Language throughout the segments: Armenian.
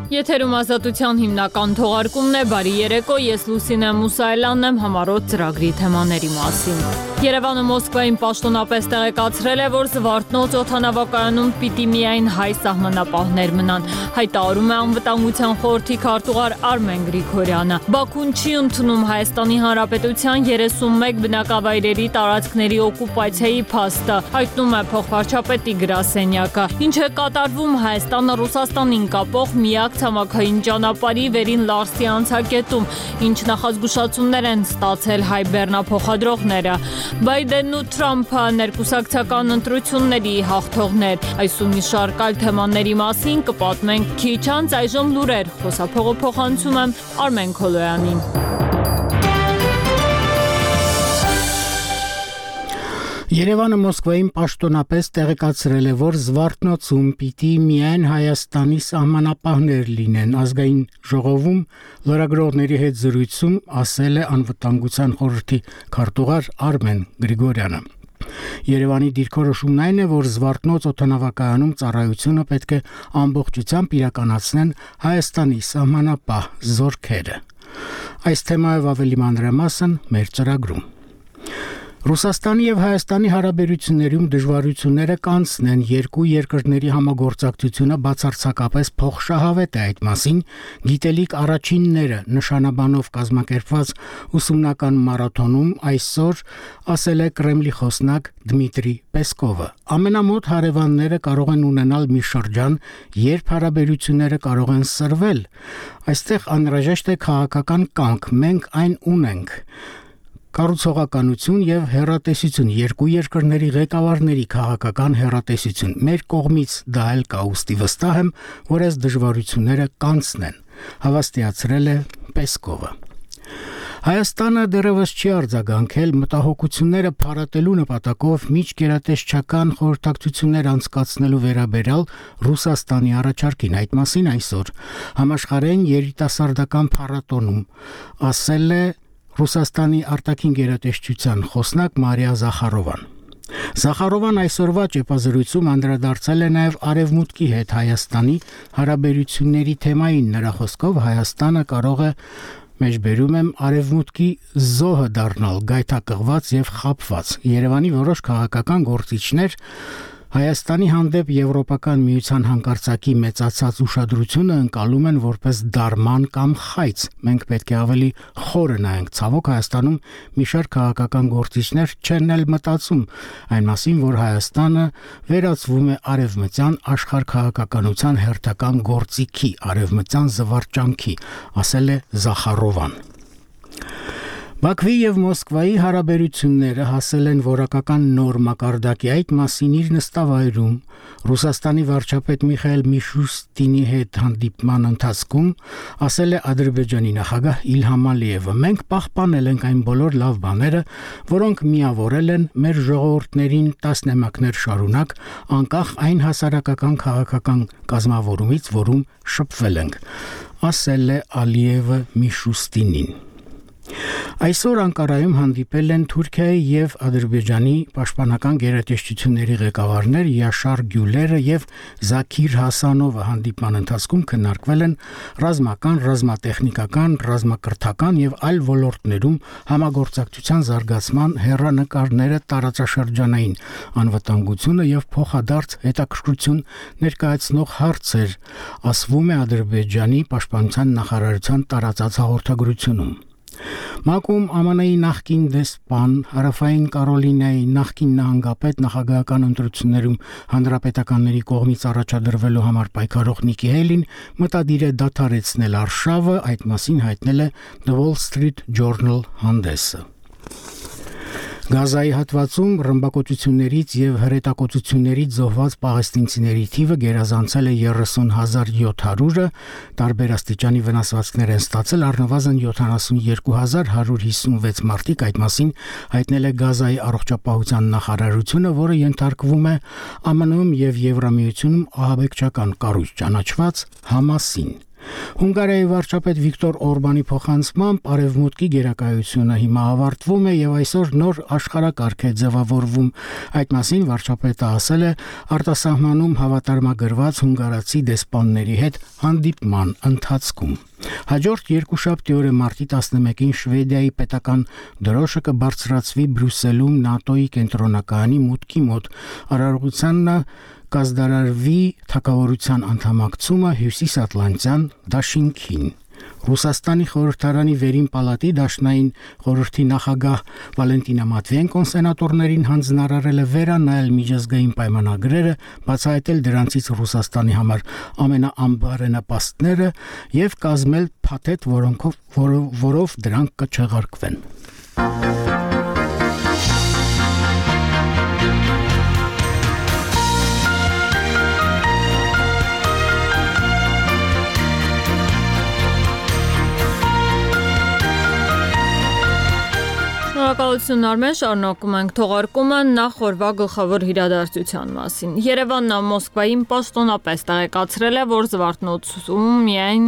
Եթերում ազատության հիմնական թողարկումն է, բարի երեկո, ես Լուսինե Մուսայելյանն եմ, համառոտ ծրագրի թեմաների մասին։ Երևանը Մոսկվային պաշտոնապես տեղեկացրել է, որ Զվարթնոց օդանավակայանում պիտի միայն հայ սահմանապահներ մնան, հայտարարում է Անվտանգության խորհրդի քարտուղար Արմեն Գրիգորյանը։ Բաքուն չի ընդունում Հայաստանի Հանրապետության 31 բնակավայրերի տարածքների օկուպացիայի փաստը, հայտնում է փոխվարչապետի գրասենյակը։ Ինչ է կատարվում Հայաստանը Ռուսաստանին կապող միակ ցամաքային ճանապարհի վերին Լարսի անցակետում, ինչ նախազգուշացումներ են ստացել հայ բեռնափոխադրողները։ Բայդենն ու Թրամփը ներկուսակցական ընտրությունների հաղթողներ։ Այս ու մի շարք այլ թեմաների մասին կպատմենք քիչ անց, այժմ լուրեր, խոսափողը փոխանցում եմ Արմեն Քոլոյանին։ Երևանը Մոսկվային պաշտոնապես տեղեկացրել է, որ Զվարթնոցում պիտի միայն Հայաստանի սահմանապահներ լինեն։ Ազգային ժողովում լրագրողների հետ զրույցում ասել է Անվտանգության խորհրդի քարտուղար Արմեն Գրիգորյանը։ Երևանի դիրքորոշումն այն է, որ Զվարթնոց օդանավակայանում ծառայությունը պետք է ամբողջությամբ իրականացնեն Հայաստանի սահմանապահ զորքերը։ Այս թեմայով ավելի մանրամասն մեր ծրագրում։ Ռուսաստանի եւ Հայաստանի հարաբերություններում դժվարությունները կանցնեն, երկու երկրների համագործակցությունը բացարձակապես փոխշահավետ է այդ մասին, գիտելիք առաջինները նշանաբանով կազմակերպված ուսումնական մարաթոնում այսօր ասել է Կրեմլի խոսնակ Դմիտրի Պեսկովը։ Ամենամոտ հարևանները կարող են ունենալ մի շրջան, երբ հարաբերությունները կարող են սրվել։ Այստեղ անհրաժեշտ է քաղաքական կամք, մենք այն ունենք։ Կառուցողականություն եւ հեռատեսություն, երկու երկրների ղեկավարների քաղաքական հեռատեսություն։ Մեր կողմից դա էլ կա, ուստի վստահ եմ, որ այս դժվարությունները կանցնեն, հավաստիացրել է Պեսկովը։ Հայաստանը դեռևս չի արձագանքել մտահոգությունները փարատելու նպատակով միջգերատեսչական խորհրդակցություններ անցկացնելու վերաբերյալ Ռուսաստանի առաջարկին։ Այդ մասին այսօր համաշխարհային երիտասարդական փառատոնում ասել է Ռուսաստանի արտաքին գերատեսչության խոսնակ Մարիա Զախարովան։ Զախարովան այսօրվա ճեպազրույցում անդրադարձել է նաև Արևմուտքի հետ Հայաստանի հարաբերությունների թեմային։ Նրա խոսքով Հայաստանը կարող է մեջբերում եմ Արևմուտքի զոհը դառնալ, գայթակղված եւ խաբված։ Երևանի որոշ քաղաքական գործիչներ Հայաստանի հանդեպ Եվրոպական միության հանկարծակի մեծացած ուշադրությունը ընկալում են որպես դարման կամ խայծ։ Մենք պետք է ավելի խորը նայենք։ Ցավոք Հայաստանում մի շարք քաղաքական գործիչներ չեն էլ մտածում այն մասին, որ Հայաստանը վերածվում է արևմտյան աշխարհքաղաքականության հերթական գործիքի, արևմտյան զվարճանքի, ասել է Զախարովան։ Բաքվի եւ Մոսկվայի հարաբերությունները հասել են որակական նոր մակարդակի։ Այդ մասին իր նստավայրում Ռուսաստանի վարչապետ Միխայել Միշուստինի հետ հանդիպման ընթացքում ասել է Ադրբեջանի նախագահ Իլհամ Ալիևը. «Մենք պահպանել ենք այն բոլոր լավ բաները, որոնք միավորել են մեր ժողովուրդներին տասնամյակներ շարունակ, անկախ այն հասարակական քաղաքական կազմավորումից, որում շփվել ենք», ասել է Ալիևը Միշուստինին։ Այսօր Անկարայում հանդիպել են Թուրքիայի եւ Ադրբեջանի պաշտպանական գերատեսչությունների ղեկավարներ Յաշար Գյուլերը եւ Զաքիր Հասանովը։ Հանդիպման ընթացքում քննարկվել են ռազմական, ռազմատեխնիկական, ռազմակրթական եւ այլ ոլորտներում համագործակցության զարգացման հեռանկարները, տարածաշրջանային անվտանգությունը եւ փոխադարձ հետաքրքրություն ներկայացնող հարցեր, ասվում է Ադրբեջանի պաշտպանության նախարարության տարածած հաղորդագրությունում։ ՄԱԿ-ում ԱՄՆ-ի նախկին դեսպան, Հարավային Կարոլինայի նախկին նահանգապետ նախագահական ընտրություններում հանրապետականների կողմից առաջադրվելու համար պայքարող Նիկի Հեյլին մտադիր է դադարեցնել արշավը, այդ մասին հայտնել է The Wall Street Journal հանդեսը։ Գազայի հատվածում ռմբակոծություններից եւ հրետակոծություններից զոհված պաղեստինցիների թիվը գերազանցել է 30,700-ը, տարբեր աստիճանի վնասվածքներ են ստացել առնվազն 72,156 մարդիկ, այդ մասին հայտնել է Գազայի առողջապահության նախարարությունը, որը ենթարկվում է ԱՄՆ-ում եւ Եվրամիությունում ահաբեկչական կառույց ճանաչված Համասին։ Հունգարիայի վարչապետ Վիկտոր Օրբանի փոխանցմամբ արևմուտքի գերակայությունը հիմա ավարտվում է եւ այսօր նոր աշխարհակարգ է ձևավորվում։ Այդ մասին վարչապետը ասել է արտասահմանում հավատարմագրված հունգարացի դեսպանների հետ հանդիպման ընթացքում։ Հաջորդ երկուշաբթի օրը մարտի 11-ին Շվեդիայի պետական դրոշը կբարձրացվի Բրյուսելում ՆԱՏՕ-ի կենտրոնակայանի մուտքի մոտ արարողությանն կազդարարվի թագավորության անդամակցումը Հյուսիսատլանտյան դաշինքին։ Ռուսաստանի խորհրդարանի վերին պալատի դաշնային խորհրդի նախագահ Վալենտինա Մատվիենկոն սենատորներին հանձնարարել է վերանայել միջազգային պայմանագրերը, բացահայտել դրանցից Ռուսաստանի համար ամենաանբարենպաստները եւ կազմել փաթեթ, որով դրանք կչեղարկվեն։ Շնորհակալություն Արմեն, շարունակում ենք թողարկումը նախ օրվա գլխավոր իրադարձության մասին։ Երևանն Մոսկվային պաշտոնապես տեղեկացրել է, որ Զվարթնոցում միայն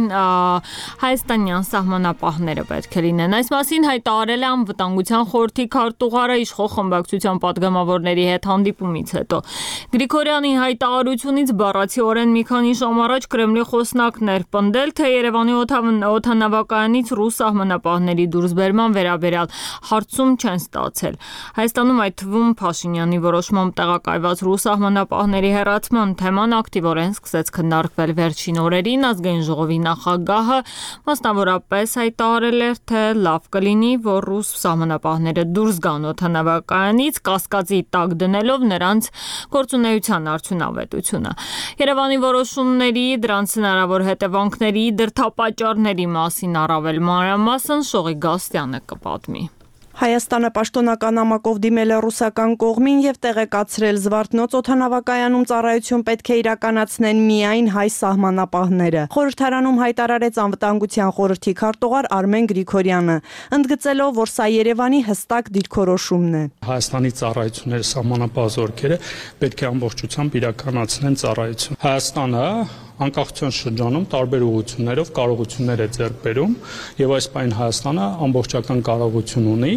հայաստանյան սահմանապահները պետք է լինեն։ Այս մասին հայտարարել է Անվտանգության խորհրդի քարտուղարը իշխող խմբակցության падգամավորների հետ հանդիպումից հետո։ Գրիգորյանի հայտարարությունից բառացիորեն մի քանի ժամ առաջ Կրեմլի խոսնակն էր պնդել, թե Երևանի օդանավակայանից ռուս սահմանապահների դուրսբերման վերաբերյալ հարցում չեն ստացել։ Հայաստանում այդ թվում Փաշինյանի որոշմամբ տեղակայված ռուս սահմանապահների հեռացման թեման ակտիվորեն սկսեց քննարկվել վերջին օրերին։ Ազգային ժողովի նախագահը մասնավորապես հայտարարել էր, թե լավ կլինի, որ ռուս սահմանապահները դուրս գան օդանավակայանից, կասկածի տակ դնելով նրանց գործունեության արդյունավետությունը։ Երևանի որոշումների, դրանց հնարավոր հետևանքների, դրդապատճառների մասին առավել մանրամասն Շողի Գաստյանը կպատմի։ Հայաստանը պաշտոնական նամակով դիմել է ռուսական կողմին եւ տեղեկացրել Զվարթնոց օդանավակայանում ծառայություն պետք է իրականացնեն միայն հայ սահմանապահները։ Խորհրդարանում հայտարարեց Անվտանգության խորհրդի քարտուղար Արմեն Գրիգորյանը, ընդգծելով, որ սա Երևանի հստակ դիրքորոշումն է։ Հայաստանի ծառայությունները սահմանապահ զորքերը պետք է ամբողջությամբ իրականացնեն ծառայություն։ Հայաստանը անկախության շրջանում տարբեր ուղղություններով կարողություններ է ձեռք բերում եւ այս պայն Հայաստանը ամբողջական կարողություն ունի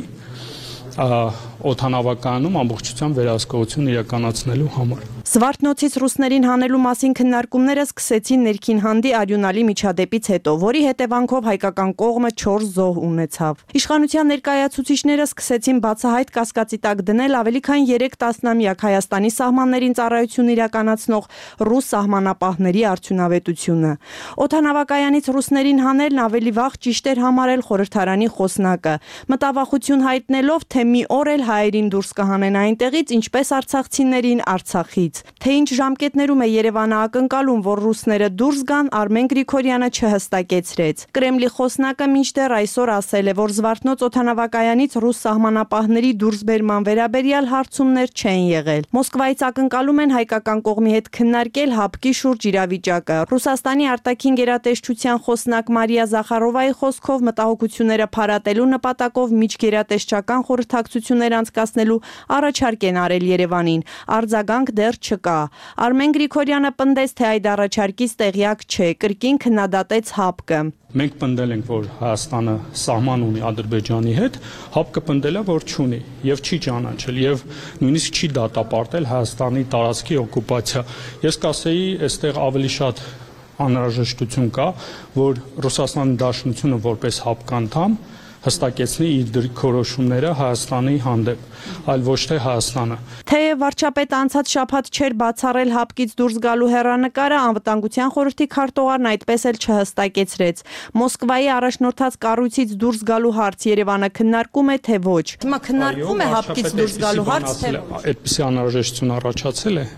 օդանավակայանում ամբողջությամբ վերահսկողություն իրականացնելու համար։ Զվարթնոցից ռուսներին հանելու մասին քննարկումները սկսեցին ներքին հանդի արյունալի միջադեպից հետո, որի հետևանքով հայկական կողմը 4 զոհ ունեցավ։ Իշխանության ներկայացուցիչները սկսեցին բացահայտ կասկածի տակ դնել ավելի քան 3 տասնամյակ Հայաստանի սահմաններին ծառայություն իրականացնող ռուս սահմանապահների արդյունավետությունը։ Օդանավակայանից ռուսներին հանելն ավելի վաղ ճիշտ էր համարել խորհրդարանի խոսնակը, մտավախություն հայտնելով, թե մի օր էլ հայերին դուրս կհանեն այնտեղից, ինչպես արցախցիներին Արցախից։ Թե ինչ ժամկետներում է Երևանը ակնկալում, որ ռուսները դուրս գան, Արմեն Գրիգորյանը չհստակեցրեց։ Կրեմլի խոսնակը մինչդեռ այսօր ասել է, որ Զվարթնոց օդանավակայանից ռուս սահմանապահների դուրսբերման վերաբերյալ հարցումներ չեն եղել։ Մոսկվայից ակնկալում են հայկական կողմի հետ քննարկել հապկի շուրջ իրավիճակը։ Ռուսաստանի արտաքին գերատեսչության խոսնակ Մարիա Զախարովայի խոսքով մտահոգությունները փարատելու նպատակով միջգերատեսչական խորհրդակցություններ անցկացնելու առաջարկ են արել Երևանին։ Արձագանք դեռ չկա։ Արմեն Գրիգորյանը պնդեց, թե այդ առաջարկից տեղյակ չէ, կրկին քննադատեց ՀԱՊԿ-ը։ Մենք պնդել ենք, որ Հայաստանը սահման ունի Ադրբեջանի հետ, ՀԱՊԿ-ը պնդել է, որ չունի եւ չի ճանաչել եւ նույնիսկ չի դատապարտել Հայաստանի տարածքի օկուպացիա։ Ես կասեի, այստեղ ավելի շատ անհրաժեշտություն կա, որ Ռուսաստանի Դաշնությունը որպես ՀԱՊԿ անդամ հստակեցնի իր դիրքորոշումները Հայաստանի հանդեպ, այլ ոչ թե Հայաստանը։ Թեև վարչապետը անցած շաբաթ չէր բացառել ՀԱՊԿ-ից դուրս գալու հեռանկարը, Անվտանգության խորհրդի քարտուղարն այդպես էլ չհստակեցրեց։ Մոսկվայի առաջնորդած կառույցից դուրս գալու հարց Երևանը քննարկում է, թե ոչ։ Հիմա քննարկվում է ՀԱՊԿ-ից դուրս գալու հարց, թե այդպիսի անհրաժեշտություն առաջացել է։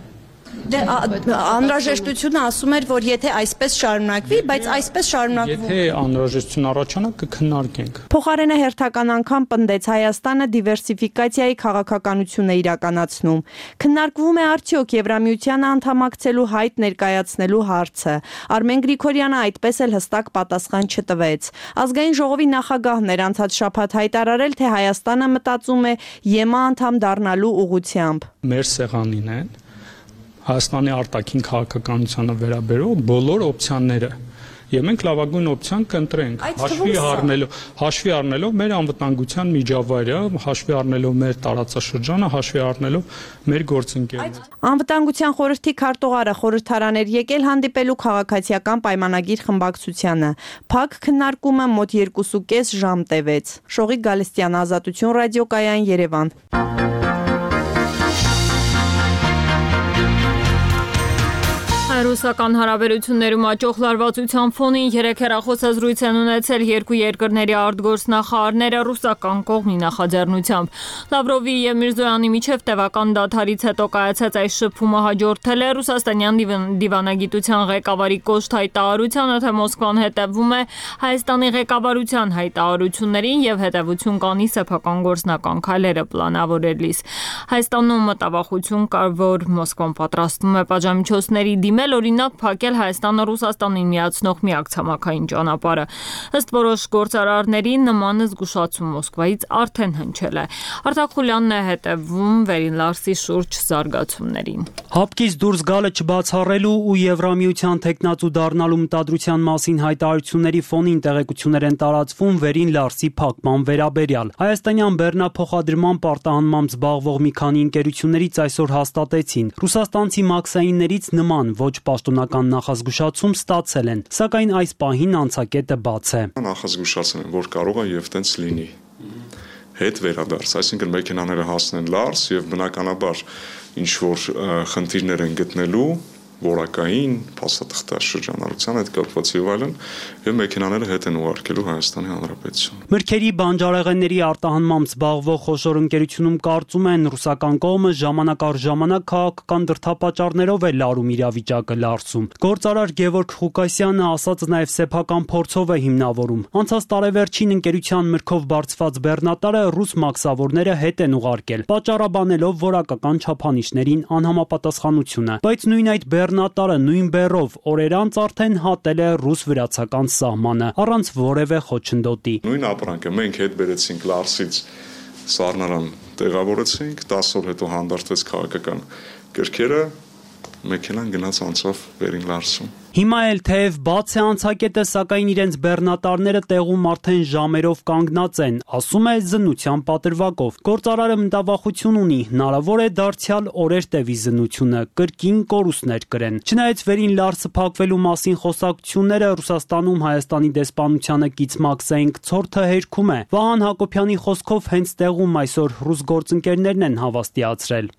Դե անհրաժեշտությունը ասում էր, որ եթե այսպես շարունակվի, բայց այսպես շարունակվում։ Եթե անհրաժեշտություն առաջանա, կքննարկենք։ Փոխարենը հերթական անգամ պնդեց Հայաստանը դիվերսիֆիկացիայի քաղաքականություն է իրականացնում։ Քննարկվում է արդյոք Եվրամիությանը անդամակցելու հայտ ներկայացնելու հարցը։ Արմեն Գրիգորյանը այդպես էլ հստակ պատասխան չտվեց։ Ազգային ժողովի նախագահն էր անցած շաբաթ հայտարարել, թե Հայաստանը մտածում է ԵՄ անդամ դառնալու ուղղությամբ։ Մեր սեղանին են Հայաստանի արտաքին քաղաքականությանը վերաբերող բոլոր օպցիաները եւ մենք լավագույն օպցիան կընտրենք, հաշվի առնելով մեր անվտանգության միջավայրը, հաշվի առնելով մեր տարածաշրջանը, հաշվի առնելով մեր գործընկերները։ Անվտանգության խորհրդի քարտուղարը խորհրդարան էր եկել հանդիպելու քաղաքացիական պայմանագիր խմբակցությանը։ Փակ քննարկումը մոտ 2.5 ժամ տևեց։ Շողիկ Գալստյան, Ազատություն ռադիոկայան, Երևան։ Ռուսական հարաբերություններում աճող լարվածության ֆոնին 3 հեռախոսազրույց են ունեցել երկու երկրների արտգործնախարարները ռուսական կողմի նախաձեռնությամբ։ Լավրովի եւ Միրզոյանի միջև տևական դադարից հետո կայացած այս շփումը հաջորդել է ռուսաստանյան դիվանագիտության ղեկավարի կոշտ հայտարարությանը, թե Մոսկվան հետևում է Հայաստանի ղեկավարության հայտարարություններին եւ հետեւություն կանի սեփական գործնական քայլերը պլանավորելիս։ Հայաստանում մտավախություն կար, որ Մոսկվան պատրաստվում է պատժամիջոցների դիմել, օրինակ փակել Հայաստանը Ռուսաստանին միացնող միակ ցամաքային ճանապարհը։ Ըստ որոշ գործարարների նման զգուշացում Մոսկվայից արդեն հնչել է։ Արտակ Խուլյանն է հետևում Վերին Լարսի շուրջ զարգացումներին։ Հապկից դուրս գալը չբացառելու ու Եվրամիության թեկնածու դառնալու մտադրության մասին հայտարարությունների ֆոնին տեղեկություններ են տարածվում Վերին Լարսի փակման վերաբերյալ։ Հայաստանյան բեռնափոխադրման պարտահանմամբ զբաղվող մի քանի ընկերություններից այսօր հաստատեցին, ռուսաստանցի մաքսայիններից նման ոչ պաշտոնական նախազգուշացում ստացել են, սակայն այս պահին անցակետը բաց է։ Նախազգուշացել են, որ կարող է եւ տենց լինի։ Հետ վերադարձ, այսինքն մեքենաները հասնեն Լարս եւ բնականաբար ինչ որ խնդիրներ են գտնելու որակային, փաստաթղթա շրջանառության հետ կապված եւ այլն, եւ մեքենաները հետ են ուղարկելու Հայաստանի Հանրապետություն։ Մրգերի բանջարեղենների արտահանմամբ զբաղվող խոշոր ընկերությունում կարծում են ռուսական կողմը ժամանակ առ ժամանակ քաղաքական դրդապատճառներով է լարում իրավիճակը Լարսում։ Գործարար Գևորգ Ղուկասյանը ասածը նաեւ սեփական փորձով է հիմնավորում։ Անցած տարեվերջին ընկերության մրգով բարձված բեռնատարը ռուս մաքսավորները հետ են ուղարկել, պատճառաբանելով որակական չափանիշներին անհամապատասխանությունը, բայց նույն այդ բեռնատարը նույն բեռով օրեր անց արդեն հատել է ռուս-վրացական սահմանը առանց որևէ խոչընդոտի։ Նույն ապրանքը մենք հետ բերեցինք Լարսից սառնարան տեղավորեցինք, 10 օր հետո հանդարտվեց քաղաքական գրքերը, մեքենան գնաց անցավ Վերին Լարսում։ Հիմա էլ թեև բաց է անցակետը, սակայն իրենց բեռնատարները տեղում արդեն ժամերով կանգնած են, ասում է զննության պատրվակով։ Գործարարը մտավախություն ունի, հնարավոր է դարձյալ օրեր տևի զննությունը, կրկին կորուստներ կրեն։ Չնայած Վերին Լարսը փակվելու մասին խոսակցությունները Ռուսաստանում Հայաստանի դեսպանությանը կից մաքսային ցորթը հերքում է։ Վահան Հակոբյանի խոսքով հենց տեղում այսօր ռուս գործընկերներն են հավաստիացրել։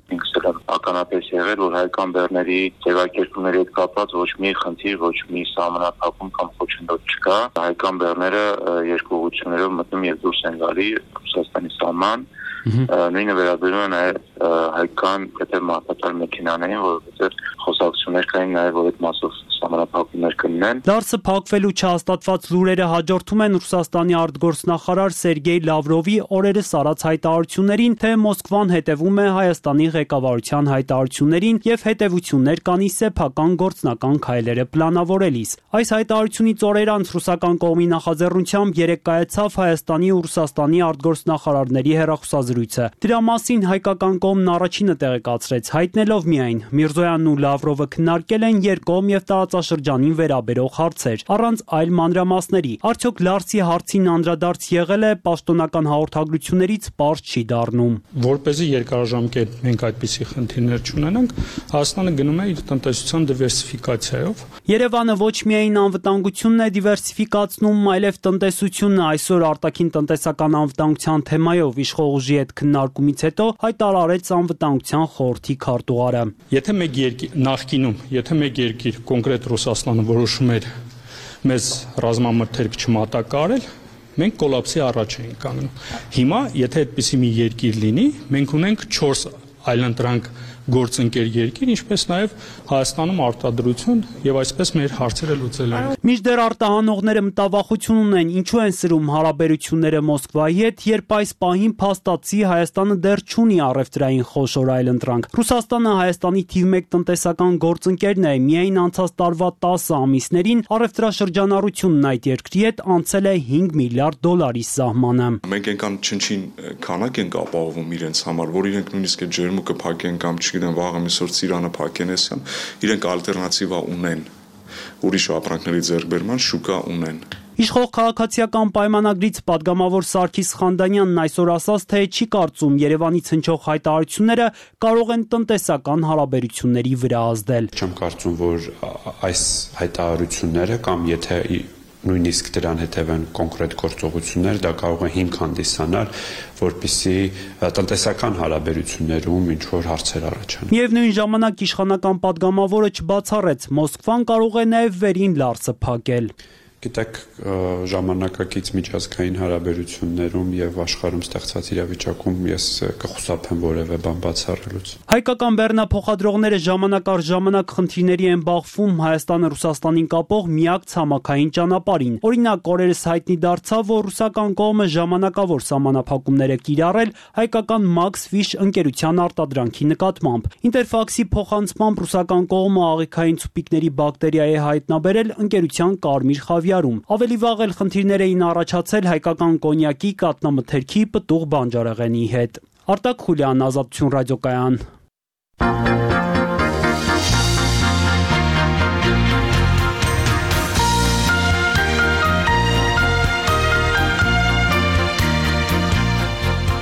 Ականապես եղել, որ հայկական բեռների ձևակերպումների հետ կապված ոչ մի խնդիր, ոչ մի սահմանափակում կամ խոչընդոտ չկա։ Հայկական բեռները երկու ուղղություններով մտնում եւ դուրս են գալի Ռուսաստանի սահման։ Նույնը վերաբերում է նաև հայկական եթե մարդատար մեքենաներին, որովհետև խոսակցություններ կային նաև որ այդ մասով սահմանափակումներ կլինեն։ Լարսը փակվելու չհաստատված լուրերը հաջորդում են Ռուսաստանի արտգործնախարար Սերգեյ Լավրովի օրերս արած հայտարարություններին, թե Մոսկվան հետևում է Հայաստանի ղեկավարության հայտարարություններին եւ հետեւություններ կանի սեփական գործնական քայլերը պլանավորելիս։ Այս հայտարարությունից օրեր անց ռուսական կողմի նախաձեռնությամբ երեկ կայացավ Հայաստանի ու Ռուսաստանի արտգործնախարարների հեռախոսազրույցը։ Դրա մասին հայկական կողմն առաջինը տեղեկացրեց, հայտնելով միայն Միրզոյանն ու Լավրովը քննարկել են երկկողմ եւ տարածաշրջանին վերաբերող հարցեր, առանց այլ մանրամասների։ Արդյոք Լարսի հարցին անդրադարձ եղել է, պաշտոնական հաղորդագրություններից պարզ չի դառնում։ Որպեսզի երկարաժամկետ մենք այդպիսի խնդիրներ չունենանք, Հայաստանը գնում է իր տնտեսության դիվերսիֆիկացիայով։ Երևանը ոչ միայն անվտանգությունն է դիվերսիֆիկացնում, այլև տնտեսությունն է։ Այսօր արտաքին տնտեսական անվտանգության թեմայով իշխող ուժի հետ քննարկումից հետո հայտարարեց անվտանգության խորհրդի քարտուղարը։ Եթե մեկ երկիր կոնկրետ Ռուսաստանը որոշում էր մեզ ռազմամթերք չմատակարարել, մենք կոլապսի առաջ էինք կանգնում։ Հիմա, եթե այդպիսի մի երկիր լինի, մենք ունենք 4 այլընտրանք գործընկեր երկիր, ինչպես նաև Հայաստանում արտադրություն եւ այսպես մեր հարցերը լուծել են։ Մինչդեռ արտահանողները մտավախություն ունեն, ինչու են սրում հարաբերությունները Մոսկվայի հետ, երբ այս պահին փաստացի Հայաստանը դեռ չունի առևտրային խոշոր այլընտրանք։ Ռուսաստանը Հայաստանի թիվ 1 տնտեսական գործընկերն է, միայն անցած տարվա 10 ամիսներին առևտրաշրջանառությունն այդ երկրի հետ անցել է $5 միլիարդ սահմանը։ Մենք այնքան չնչին քանակ ենք ապահովում իրենց համար, որ իրենք նույնիսկ այդ ջերմուկը փակեն կամ չգիտեմ վաղը միսօր Ծիրանը փակեն էսյան, իրենք ալտերնատիվա ունեն։ ուրիշ ապրանքների ձեռքբերման շուկա ունեն։ Իշխող քաղաքացիական պայմանագրից պատգամավոր Սարգիս Խանդանյանն այսօր ասաց, թե չի կարծում Երևանից հնչող հայտարարությունները կարող են տնտեսական հարաբերությունների վրա ազդել։ Չեմ կարծում, որ այս հայտարարությունները կամ եթե նույնիսկ դրան հետևեն կոնկրետ գործողություններ, դա կարող է հիմք հանդիսանալ, որպեսզի տնտեսական հարաբերություններում ինչ-որ հարցեր առաջանան։ Միևնույն ժամանակ իշխանական պատգամավորը չբացառեց, Մոսկվան կարող է նաև վերին լարսը փակել։ Գիտեք, ժամանակակից միջազգային հարաբերություններում եւ աշխարհում ստեղծած իրավիճակում ես կխուսափեմ որևէ բան բացառելուց։ Հայկական բեռնափոխադրողները ժամանակ առ ժամանակ խնդիրների են բախվում Հայաստանը Ռուսաստանին կապող միակ ցամաքային ճանապարհին։ Օրինակ, օրերս հայտնի դարձավ, որ ռուսական կողմը ժամանակավոր սահմանափակումներ է կիրառել հայկական Maxfish ընկերության արտադրանքի նկատմամբ։ Ինտերֆաքսի փոխանցմամբ ռուսական կողմը աղիքային ցուպիկների բակտերիա է հայտնաբերել ընկերության Կարմիր խավիարում։ Ավելի վաղ էլ խնդիրներ էին առաջացել հայկական կոնյակի, կատնամթերքի, պտուղ բանջարեղենի հետ։ Արտակ Խուլյան, Ազատություն ռադիոկայան։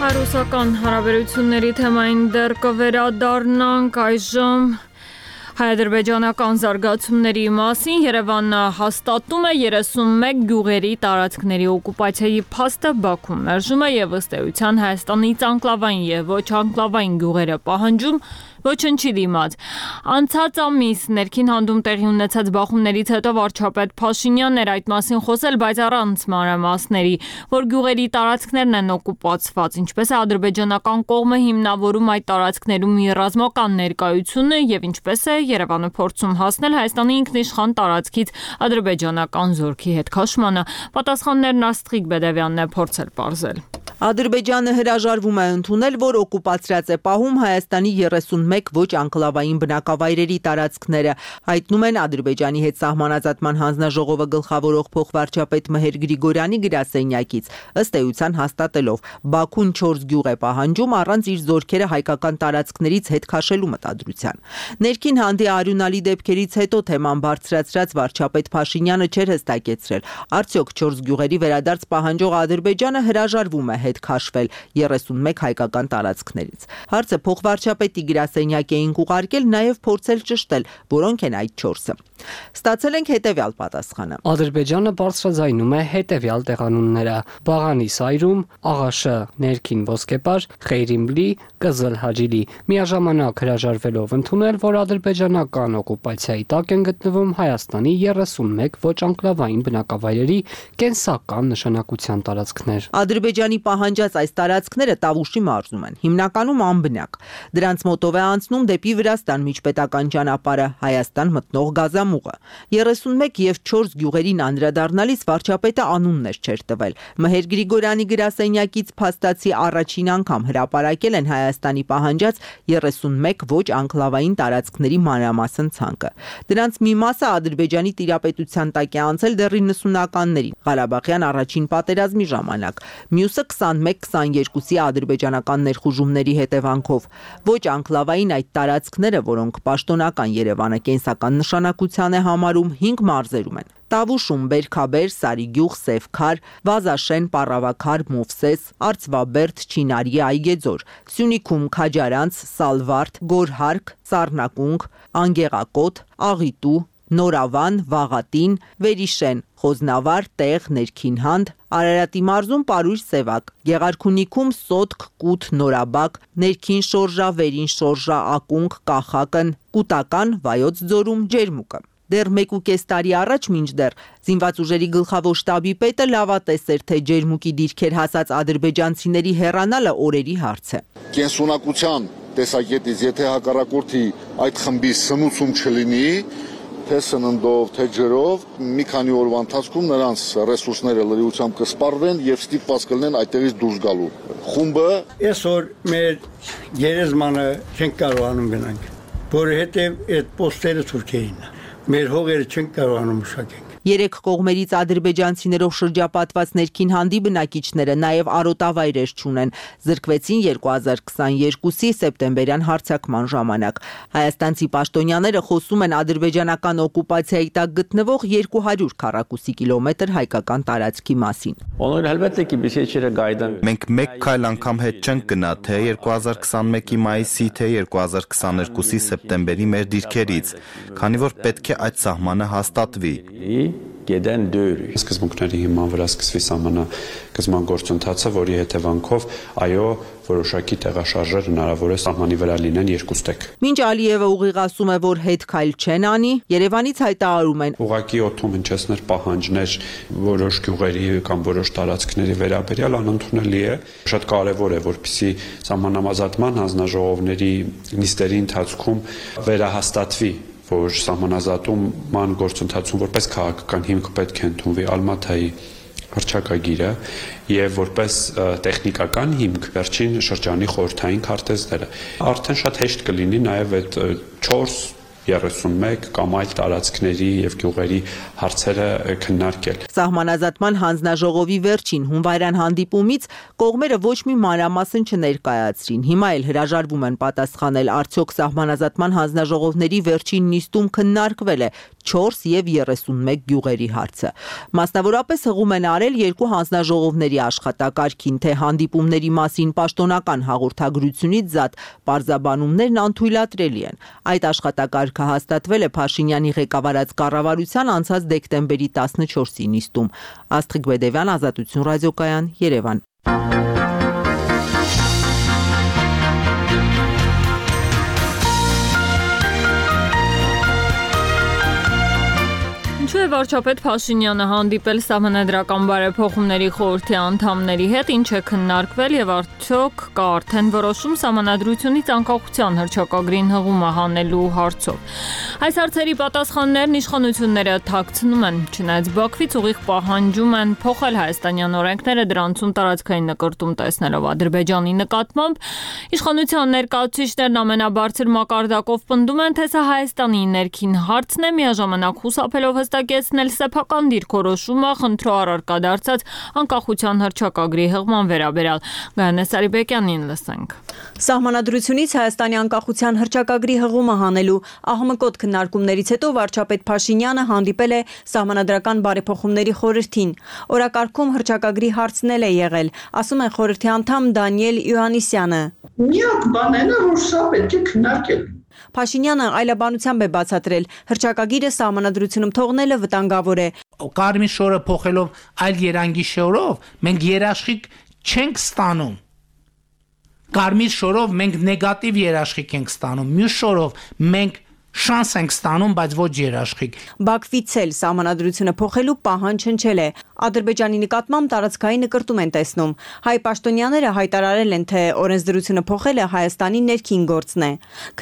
Հայ-ռուսական հարաբերությունների թեմային դեռ կվերադառնանք այժմ հայ-ադրբեջանական զարգացումների մասին։ Երևանը հաստատում է 31 գյուղերի տարածքների օկուպացիայի փաստը, Բաքուն մերժում է եւ ըստ էության Հայաստանից անկլավային եւ ոչ անկլավային գյուղերը պահանջում ոչնչի դիմաց։ Անցած ամիս ներքին հանդում տեղի ունեցած բախումներից հետո վարչապետ Փաշինյանն էր այդ մասին խոսել, բայց առանց մանրամասների, որ գյուղերի տարածքներն են օկուպացված, ինչպես է ադրբեջանական կողմը հիմնավորում այդ տարածքներում իր ռազմական ներկայությունը եւ ինչպես է Երևանը փորձում հասնել Հայաստանի ինքնիշխան տարածքից ադրբեջանական զորքի հետ քաշմանը։ Պատասխաններն Աստղիկ Բեդևյանն է փորձել պարզել։ Ադրբեջանը հրաժարվում է ընդունել, որ օկուպացրած է պահում Հայաստանի 31 ոչ անկլավային բնակավայրերի տարածքները, հայտնում են Ադրբեջանի հետ սահմանազատման հանձնաժողովը գլխավորող փոխվարչապետ Մհեր Գրիգորյանի գրասենյակից, ըստ էության հաստատելով Բաքուն 4 գյուղ է պահանջում առանց իր զորքերը հայկական տարածքներից հետ քաշելու մտադրության։ Ներքին հանդի արյունալի դեպքերից հետո թեման բարձրացրած վարչապետ Փաշինյանը չէր հստակեցրել, արդյոք 4 գյուղերի վերադարձ պահանջող Ադրբեջանը հրաժարվում է հետ քաշվել 31 հայկական տարածքներից։ Հարցը փոխվարչապետի գրասենյակ էինք ուղարկել, նաև փորձել ճշտել, որոնք են այդ 4-ը։ Ստացել ենք հետևյալ պատասխանը։ Ադրբեջանը բարձրաձայնում է հետևյալ տեղանունները՝ Բաղանի Սայրում, Աղաշը, Ներքին Ոսկեպար, Խեյրիմլի, Կզլ Հաջիլի, միաժամանակ հրաժարվելով ընդունել, որ ադրբեջանական օկուպացիայի տակ են գտնվում Հայաստանի 31 ոչ անկլավային բնակավայրերի կենսական նշանակության տարածքներ։ Ադրբեջանի պահանջած այս տարածքները Տավուշի մարզում են, հիմնականում անբնակ։ Դրանց մոտով է անցնում դեպի Վրաստան միջպետական ճանապարհը, Հայաստան մտնող գազամուղը։ 31 եւ 4 գյուղերին անդրադառնալիս վարչապետը անուններ չէր տվել։ Մհեր Գրիգորյանի գրասենյակից փաստացի առաջին անգամ հրապարակել են Հայաստանի պահանջած 31 ոչ անկլավային տարածքների մանրամասն ցանկը։ Դրանց մի մասը Ադրբեջանի տիրապետության տակ է անցել դեռ 90-ականներին, Ղարաբաղյան առաջին պատերազմի ժամանակ, մյուսը 21-22-ի ադրբեջանական ներխուժումների հետևանքով։ Ոչ անկլավային այդ տարածքները, որոնք պաշտոնական Երևանը կենսական նշանակության է համարում, 5 մարզերում են։ Տավուշում Բերքաբեր, Սարիգյուղ, Սևքար, Վազաշեն, Պառավաքար, Մովսես, Արծվաբերդ, Չինարի, Այգեձոր, Սյունիքում Քաջարանց, Սալվարդ, Գորհարկ, Սառնակունք, Անգեղակոտ, Աղիտու, Նորավան, Վաղատին, Վերիշեն, Խոզնավար, Տեղ, Ներքինհանդ, Արարատի մարզում Պարույր Սևակ, Գեղարքունիքում Սոտք, Կութ, Նորաբակ, Ներքին Շորժա, Վերին Շորժա, Ակունք, Կախակն, Կուտական, Վայոց ձորում Ջերմուկը։ Դեռ 1.5 տարի առաջ մինչդեռ զինված ուժերի գլխավոր շտաբի պետը լավատես էր, թե Ջերմուկի դիրքեր հասած ադրբեջանցիների հեռանալը օրերի հարց է։ Կենսունակության տեսակետից, եթե հակառակորդի այդ խմբի սնուցում չլինի, թե սննդով, թե ջրով, մի քանի օրվա ընթացքում նրանց ռեսուրսները լրիվությամբ կսպառվեն եւ ստիպված կլինեն այդտեղից դուրս գալու։ Խումբը այսօր մեր գերեզմանը չենք կարողանում գնանք, որովհետեւ այդ պոստերը թուրքերին։ Մեր հողերը չենք կարողանում մշակենք։ Երեք կողմերից ադրբեջանցիներով շրջապատված ներքին հանդի բնակիչները նաև արոտավայրեր չունեն, զրկվեցին 2022-ի սեպտեմբերյան հարձակման ժամանակ։ Հայաստանցի պաշտոնյաները խոսում են ադրբեջանական օկուպացիայի տակ գտնվող 200 քառակուսի կիլոմետր հայկական տարածքի մասին։ Մենք մեկ քայլ անգամ հետ չենք գնա թե 2021-ի մայիսի, թե 2022-ի սեպտեմբերի մեր դիրքերից, քանի որ պետք է այդ սահմանը հաստատվի։ Սկզբունքների հիման վրա սկսվի սահմանագծման գործընթացը, որի հետևանքով այո, որոշակի տեղաշարժեր հնարավոր է սահմանի վրա լինեն երկուստեք։ Մինչ Ալիևը ուղիղ ասում է, որ հետ քայլ չեն անի, Երևանից հայտարարում են. Ուղղակի օդում հնչեցներ պահանջներ որոշ գյուղերի կամ որոշ տարածքների վերաբերյալ անընդունելի է։ Շատ կարևոր է, որպեսզի սահմանամազատման հանձնաժողովների նիստերի ընթացքում վերահաստատվի, որ սահմանազատման գործընթացում որպես քաղաքական հիմք պետք է ընդունվի Ալմաթայի հռչակագիրը եւ որպես տեխնիկական հիմք վերջին շրջանի խորհրդային քարտեզները։ Արդեն շատ հեշտ կլինի նաեւ այդ 4-31 կամ այլ տարածքների եւ գյուղերի հարցերը քննարկել։ Սահմանազատման հանձնաժողովի վերջին հունվարյան հանդիպումից կողմերը ոչ մի մանրամասն չներկայացրին։ Հիմա էլ հրաժարվում են պատասխանել, արդյոք սահմանազատման հանձնաժողովների վերջին նիստում քննարկվել է 4 եւ 31 գյուղերի հարցը։ Մասնավորապես հղում են արել երկու հանձնաժողովների աշխատակարգին, թե հանդիպումների մասին պաշտոնական հաղորդագրությունից զատ պարզաբանումներն անթույլատրելի են։ Այդ աշխատակարգը հաստատվել է Փաշինյանի ղեկավարած կառավարության անցած դեկտեմբերի 14-ի նիստում։ Աստղիկ Բեդևյան, Ազատություն ռադիոկայան, Երևան։ Ինչու է վարչապետ Փաշինյանը հանդիպել Սահմանադրական բարեփոխումների խորհրդի անդամների հետ, ինչ է քննարկվել եւ արդյոք կա արդեն որոշում Սահմանադրությունից անկախության հռչակագրին հղումը հանելու հարցով։ Այս հարցերի պատասխաններն իշխանությունները թաքցնում են, չնայած Բաքվից ուղիղ պահանջում են փոխել հայաստանյան օրենքները դրանցում տարածքային նկրտում տեսնելով Ադրբեջանի նկատմամբ։ Իշխանության ներկայացուցիչներն ամենաբարձր մակարդակով պնդում են, թե սա Հայաստանի ներքին հարցն է, միաժամանակ խուսափելով հստակեցնել սեփական դիրքորոշումը խնդրո առարկա դարձած անկախության հռչակագրի հղման վերաբերյալ։ Գայանե Սարիբեկյանին լսենք։ Սահմանադրությունից Հայաստանի անկախության հռչակագրի հղումը հանելու ահմկոտ քննարկումներից հետո վարչապետ Փաշինյանը հանդիպել է Սահմանադրական բարեփոխումների խորհրդին։ Օրակարգում հռչակագրի հարցնել է եղել, ասում է խորհրդի անդամ Դանիել Յուհաննիսյանը։ Միակ բանն է, որ սա պետք է քննարկել։ Փաշինյանը այլաբանությամբ է բացատրել, հռչակագիրը Սահմանադրությունում թողնելը վտանգավոր է։ Կարմիր շորը փոխելով այլ երանգի շորով մենք երաշխիք չենք ստանում։ Կարմիր շորով մենք նեգատիվ երաշխիք ենք ստանում, մյուս շորով մենք շանս ենք ստանում, բայց ոչ երաշխիք։ Բաքվից էլ Սահմանադրությունը փոխելու պահանջ հնչել է։ Ադրբեջանի նկատմամբ տարածքային նկրտում են տեսնում։ Հայ պաշտոնյաները հայտարարել են, թե օրենսդրությունը փոխելը Հայաստանի ներքին գործն է։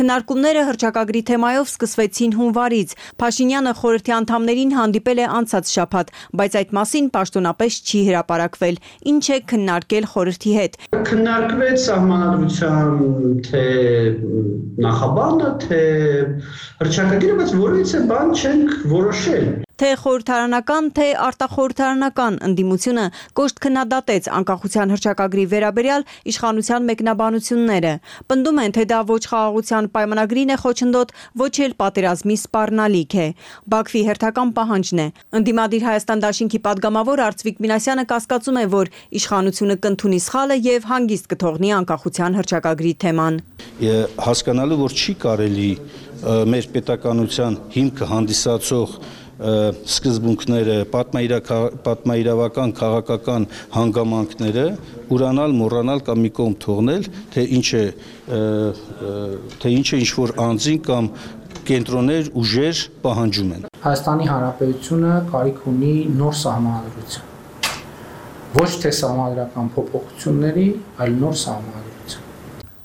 Քննարկումները հռչակագրի թեմայով սկսվեցին հունվարից։ Փաշինյանը խորհրդի անդամներին հանդիպել է անցած շաբաթ, բայց այդ մասին պաշտոնապես չի հրապարակվել։ Ինչ է քննարկել խորհրդի հետ։ Քննարկվեց Սահմանադրության թե նախաբանը, թե հռչակագիրը, բայց որևիցե բան չենք որոշել։ Թե խորհրդարանական, թե արտախորհրդարանական ընդդիմությունը կոշտ քննադատեց անկախության հռչակագրի վերաբերյալ իշխանության մեկնաբանությունները։ Պնդում են, թե դա ոչ խաղաղության պայմանագրին է խոչընդոտ, ոչ էլ պատերազմի սպառնալիք է։ Բաքվի հերթական պահանջն է։ Ընդդիմադիր Հայաստան դաշինքի падգամավոր Արծվիկ Մինասյանը կասկածում է, որ իշխանությունը կընդունի սխալը եւ հանգիստ կթողնի անկախության հռչակագրի թեման։ Հասկանալու, որ չի կարելի մեր պետականության հիմքը հանդիսացող սկզբունքները, պատմաիրավական, քաղաքական հանգամանքները ուրանալ, մոռանալ կամ մի կողմ թողնել, թե ինչ որ անձին կամ կենտրոններ, ուժեր պահանջում են։ Հայաստանի Հանրապետությունը կարիք ունի նոր սահմանադրություն։ Ոչ թե սահմանադրական փոփոխությունների, այլ նոր սահմանադրություն։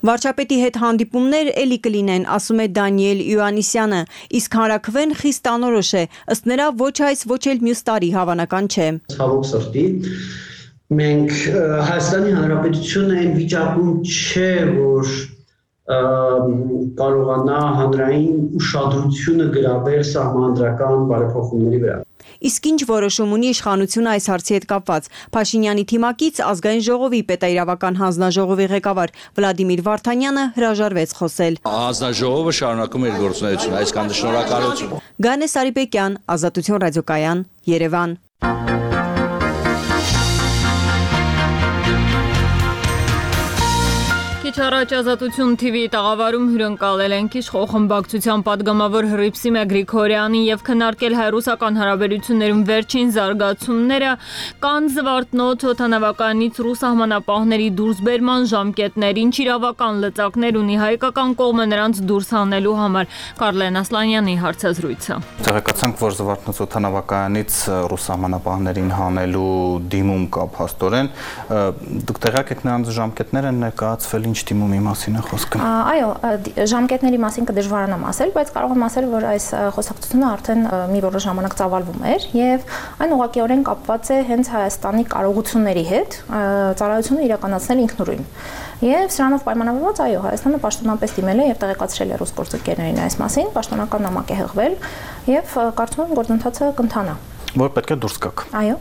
Վարչապետի հետ հանդիպումներ էլի կլինեն, ասում է Դանիել Յուհաննիսյանը, իսկ հանրաքվեն խիստ անորոշ է, ըստ նրա ոչ այս, ոչ էլ մյուս տարի հավանական չէ։ Ցավոք սրտի, մենք Հայաստանի Հանրապետությունը այն վիճակում չէ, որ կարողանա հանրային ուշադրությունը գրավել սահմանադրական բարեփոխումների վրա։ Իսկ ինչ որոշում ունի իշխանությունը այս հարցի հետ կապված։ Փաշինյանի թիմակից Ազգային ժողովի պետաիրավական հանձնաժողովի ղեկավար Վլադիմիր Վարդանյանը հրաժարվեց խոսել։ Հանձնաժողովը շարունակում է իր գործունեությունը, այսքան շնորհակալություն։ Գանե Սարիբեկյան, Ազատություն ռադիոկայան, Երևան։ Քիչ առաջ Ազատություն TV-ի տաղավարում հյուրընկալել ենք իշխող խմբակցության падգամավոր Հռիփսիմե Գրիգորյանին եւ քննարկել հայ-ռուսական հարաբերություններում վերջին զարգացումները, կան զվարթնոց օդանավականից ռուս սահմանապահների դուրսբերման ժամկետներ, ինչ իրավական լծակներ ունի հայկական կողմը նրանց դուրս հանելու համար։ Կարլեն Ասլանյանի հարցազրույցը։ Տեղեկացանք, որ զվարթնոց օդանավականից ռուս սահմանապահներին հանելու դիմում կա փաստորեն։ Դուք տեղյակ եք նրանց ժամկետները ներկայացվել ինչ դիմումի մասին է խոսքը։ Այո, ժամկետների մասին կդժվարանամ ասել, բայց կարող եմ ասել, որ այս խոսակցությունը արդեն մի որոշ ժամանակ ծավալվում էր եւ այն ուղղակիորեն կապված է հենց Հայաստանի կարողությունների հետ ծառայությունը իրականացնել ինքնուրույն։ Եվ սրանով պայմանավորված, այո, Հայաստանը պաշտոնապես դիմել է եւ տեղեկացրել է ռուս գործընկերներին այս մասին, պաշտոնական նամակ է հղվել եւ կարծում եմ գործընթացը կընթանա։ Որ պետք է դուրս գաք։ Այո։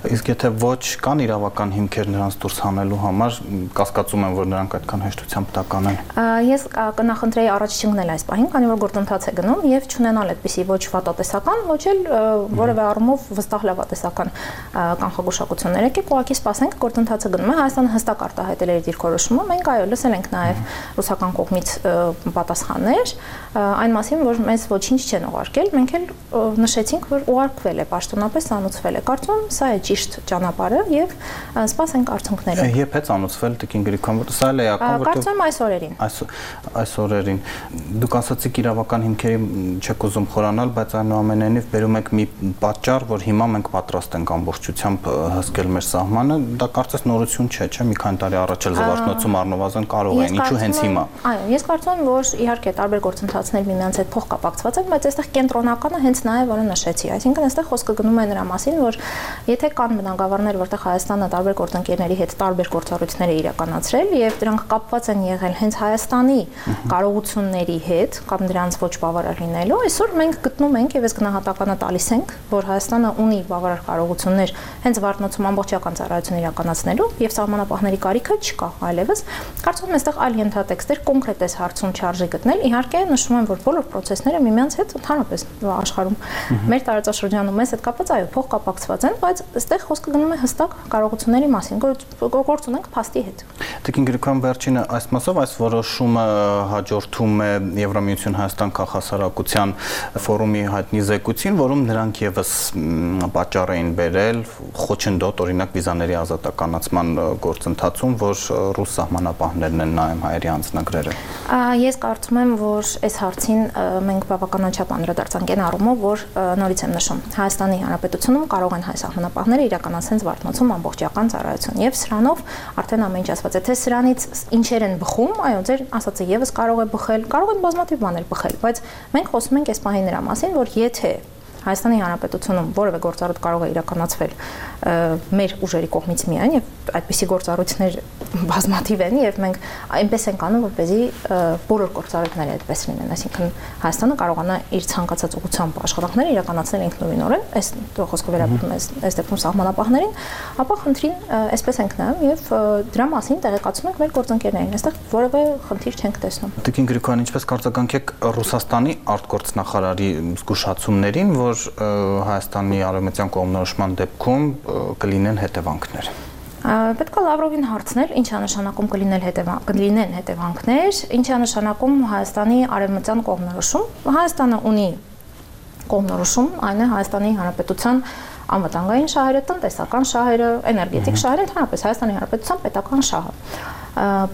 Իսկ եթե ոչ կան իրավական հիմքեր նրանց դուրս հանելու համար, կասկածում եմ, որ նրանք այդքան հեշտությամբ տական են։ Ես կնախընտրեի առաջ չընկնել այս պահին, քանի որ գործընթաց է գնում եւ չունենալ այդպիսի ոչ վատատեսական, ոչ էլ որևէ առումով վստահ լավատեսական կանխագուշակություններ։ Եկեք ուղղակի սպասենք, գործընթացը գնում է, Հայաստանը հստակ արտահայտել է իր դիրքորոշումը, մենք այո լսել ենք նաեւ ռուսական կողմից պատասխաններ այն մասին, որ մեզ ոչինչ չեն ուղարկել, մենք էլ նշեցինք, որ ուղարկվել է պաշտոնապես անուցվել է։ Կարծում եմ սա է ճիշտ ճանապարհը եւ սպասենք արդյունքները։ Երբ է անուցվել Տիկին Գրիգորյան, որ սա էլ է ակամ, որտեղ կարծում եմ այս օրերին։ Այս օրերին դուք ասացիք իրավական հիմքերի չեք ուզում խորանալ, բայց այնուամենայնիվ բերում եք մի պատճառ, որ հիմա մենք պատրաստ ենք ամբողջությամբ հսկել մեր սահմանը, դա կարծես նորություն չէ, չէ՞, մի քանի տարի առաջ էլ զվարթնոցում առնվազն կարող են, ինչու հենց հիմա։ Այո, ես կարծում եմ, որ իհարկե տարբեր գործընթացներ միմյանց հետ փոխկապակցված են, բայց այստեղ կենտրոնականը հենց նա է, որը նշեցի, այսինքն այստեղ խոսքը գնում է նրա մասին, որ եթե կան բնագավառներ, որտեղ Հայաստանը տարբեր գործընկերների հետ տարբեր գործառույթներ է իրականացրել եւ դրանք կապված են եղել հենց Հայաստանի կարողությունների հետ կամ դրանց ոչ բավարար լինելու, այսօր մենք գտնում ենք եւ այս գնահատականը տալիս ենք, որ Հայաստանը ունի բավարար կարողություններ հենց Զվարթնոցում ամբողջական ծառայություն իրականացնելու եւ սահմանապահների կարիքը չկա այլևս։ Կարծում եմ այստեղ այլ ենթատեքստեր կոնկրետ այս հարցում չարժի գտնել։ Իհարկե նշում եմ, որ բոլոր process-ները միմյանց հետ ընդհանրապես աշխարհում մեր տարածաշրջանում մեզ հետ կապված այո փոխկապակցված են, բայց այստեղ խոսքը գնում է հստակ կարողությունների մասին, գործ ունենք փաստի հետ։ Տիկին Գրիգորյան, վերջինը այս մասով այս որոշումը հաջորդում է Եվրամիություն Հայաստան քաղաքասարակության ֆորումի հայտնի զեկույցին, որում նրանք եւս պատճառ էին բերել խոչընդոտ օրինակ վիզաների ազատականացման գործընթացում, որ ռուս սահմանապահներն են նայում հայերի անձնագրերը։ Ես կարծում եմ, որ այս հարցին մենք բավականաչափ անդրադարձանք այն առումով, որ նորից եմ նշում, Հայաստանի Հանրապետությունում կարող են հայ սահմանապահները իրականացնել Զվարթնոցում ամբողջական ծառայություն եւ սրանով արդեն ամեն ինչ ասված է, թե սրանից ինչեր են բխում, այո, ձեր ասածը եւս կարող է բխել, կարող են բազմաթիվ բաներ բխել, բայց մենք խոսում ենք այս պահին նրա մասին, որ եթե Հայաստանի Հանրապետությունում որևէ գործառույթ կարող է իրականացվել մեր ուժերի կողմից միայն եւ այդպիսի գործառույթներ բազմաթիվ են եւ մենք այնպես ենք անում, որպեսզի բոլոր գործառույթները այդպես լինեն, այսինքն Հայաստանը կարողանա իր ցանկացած ուղղությամբ աշխատանքները իրականացնել ինքնուրույնորեն, այս խոսքը վերաբերում է այս դեպքում սահմանապահներին, ապա խնդրին այսպես ենք նայում եւ դրա մասին տեղեկացնում ենք մեր գործընկերներին, այստեղ որևէ խնդիր չենք տեսնում։ Տիկին Գրիգորյան, ինչպես կարծականք եք Ռուսաստանի արտգործնախարարի զգուշացումներին, որ Հայաստանի արևմտյան կողմնորոշման դեպքում կլինեն հետևանքներ։ Պետք է Լավրովին հարցնել, ինչ է նշանակում կլինեն հետևանքներ, ինչ է նշանակում Հայաստանի արևմտյան կողմնորոշում։ Հայաստանը ունի կողմնորոշում, այն է Հայաստանի Հանրապետության անվտանգային շահերը, տնտեսական շահերը, էներգետիկ շահերը, ընդհանրապես Հայաստանի Հանրապետության պետական շահը։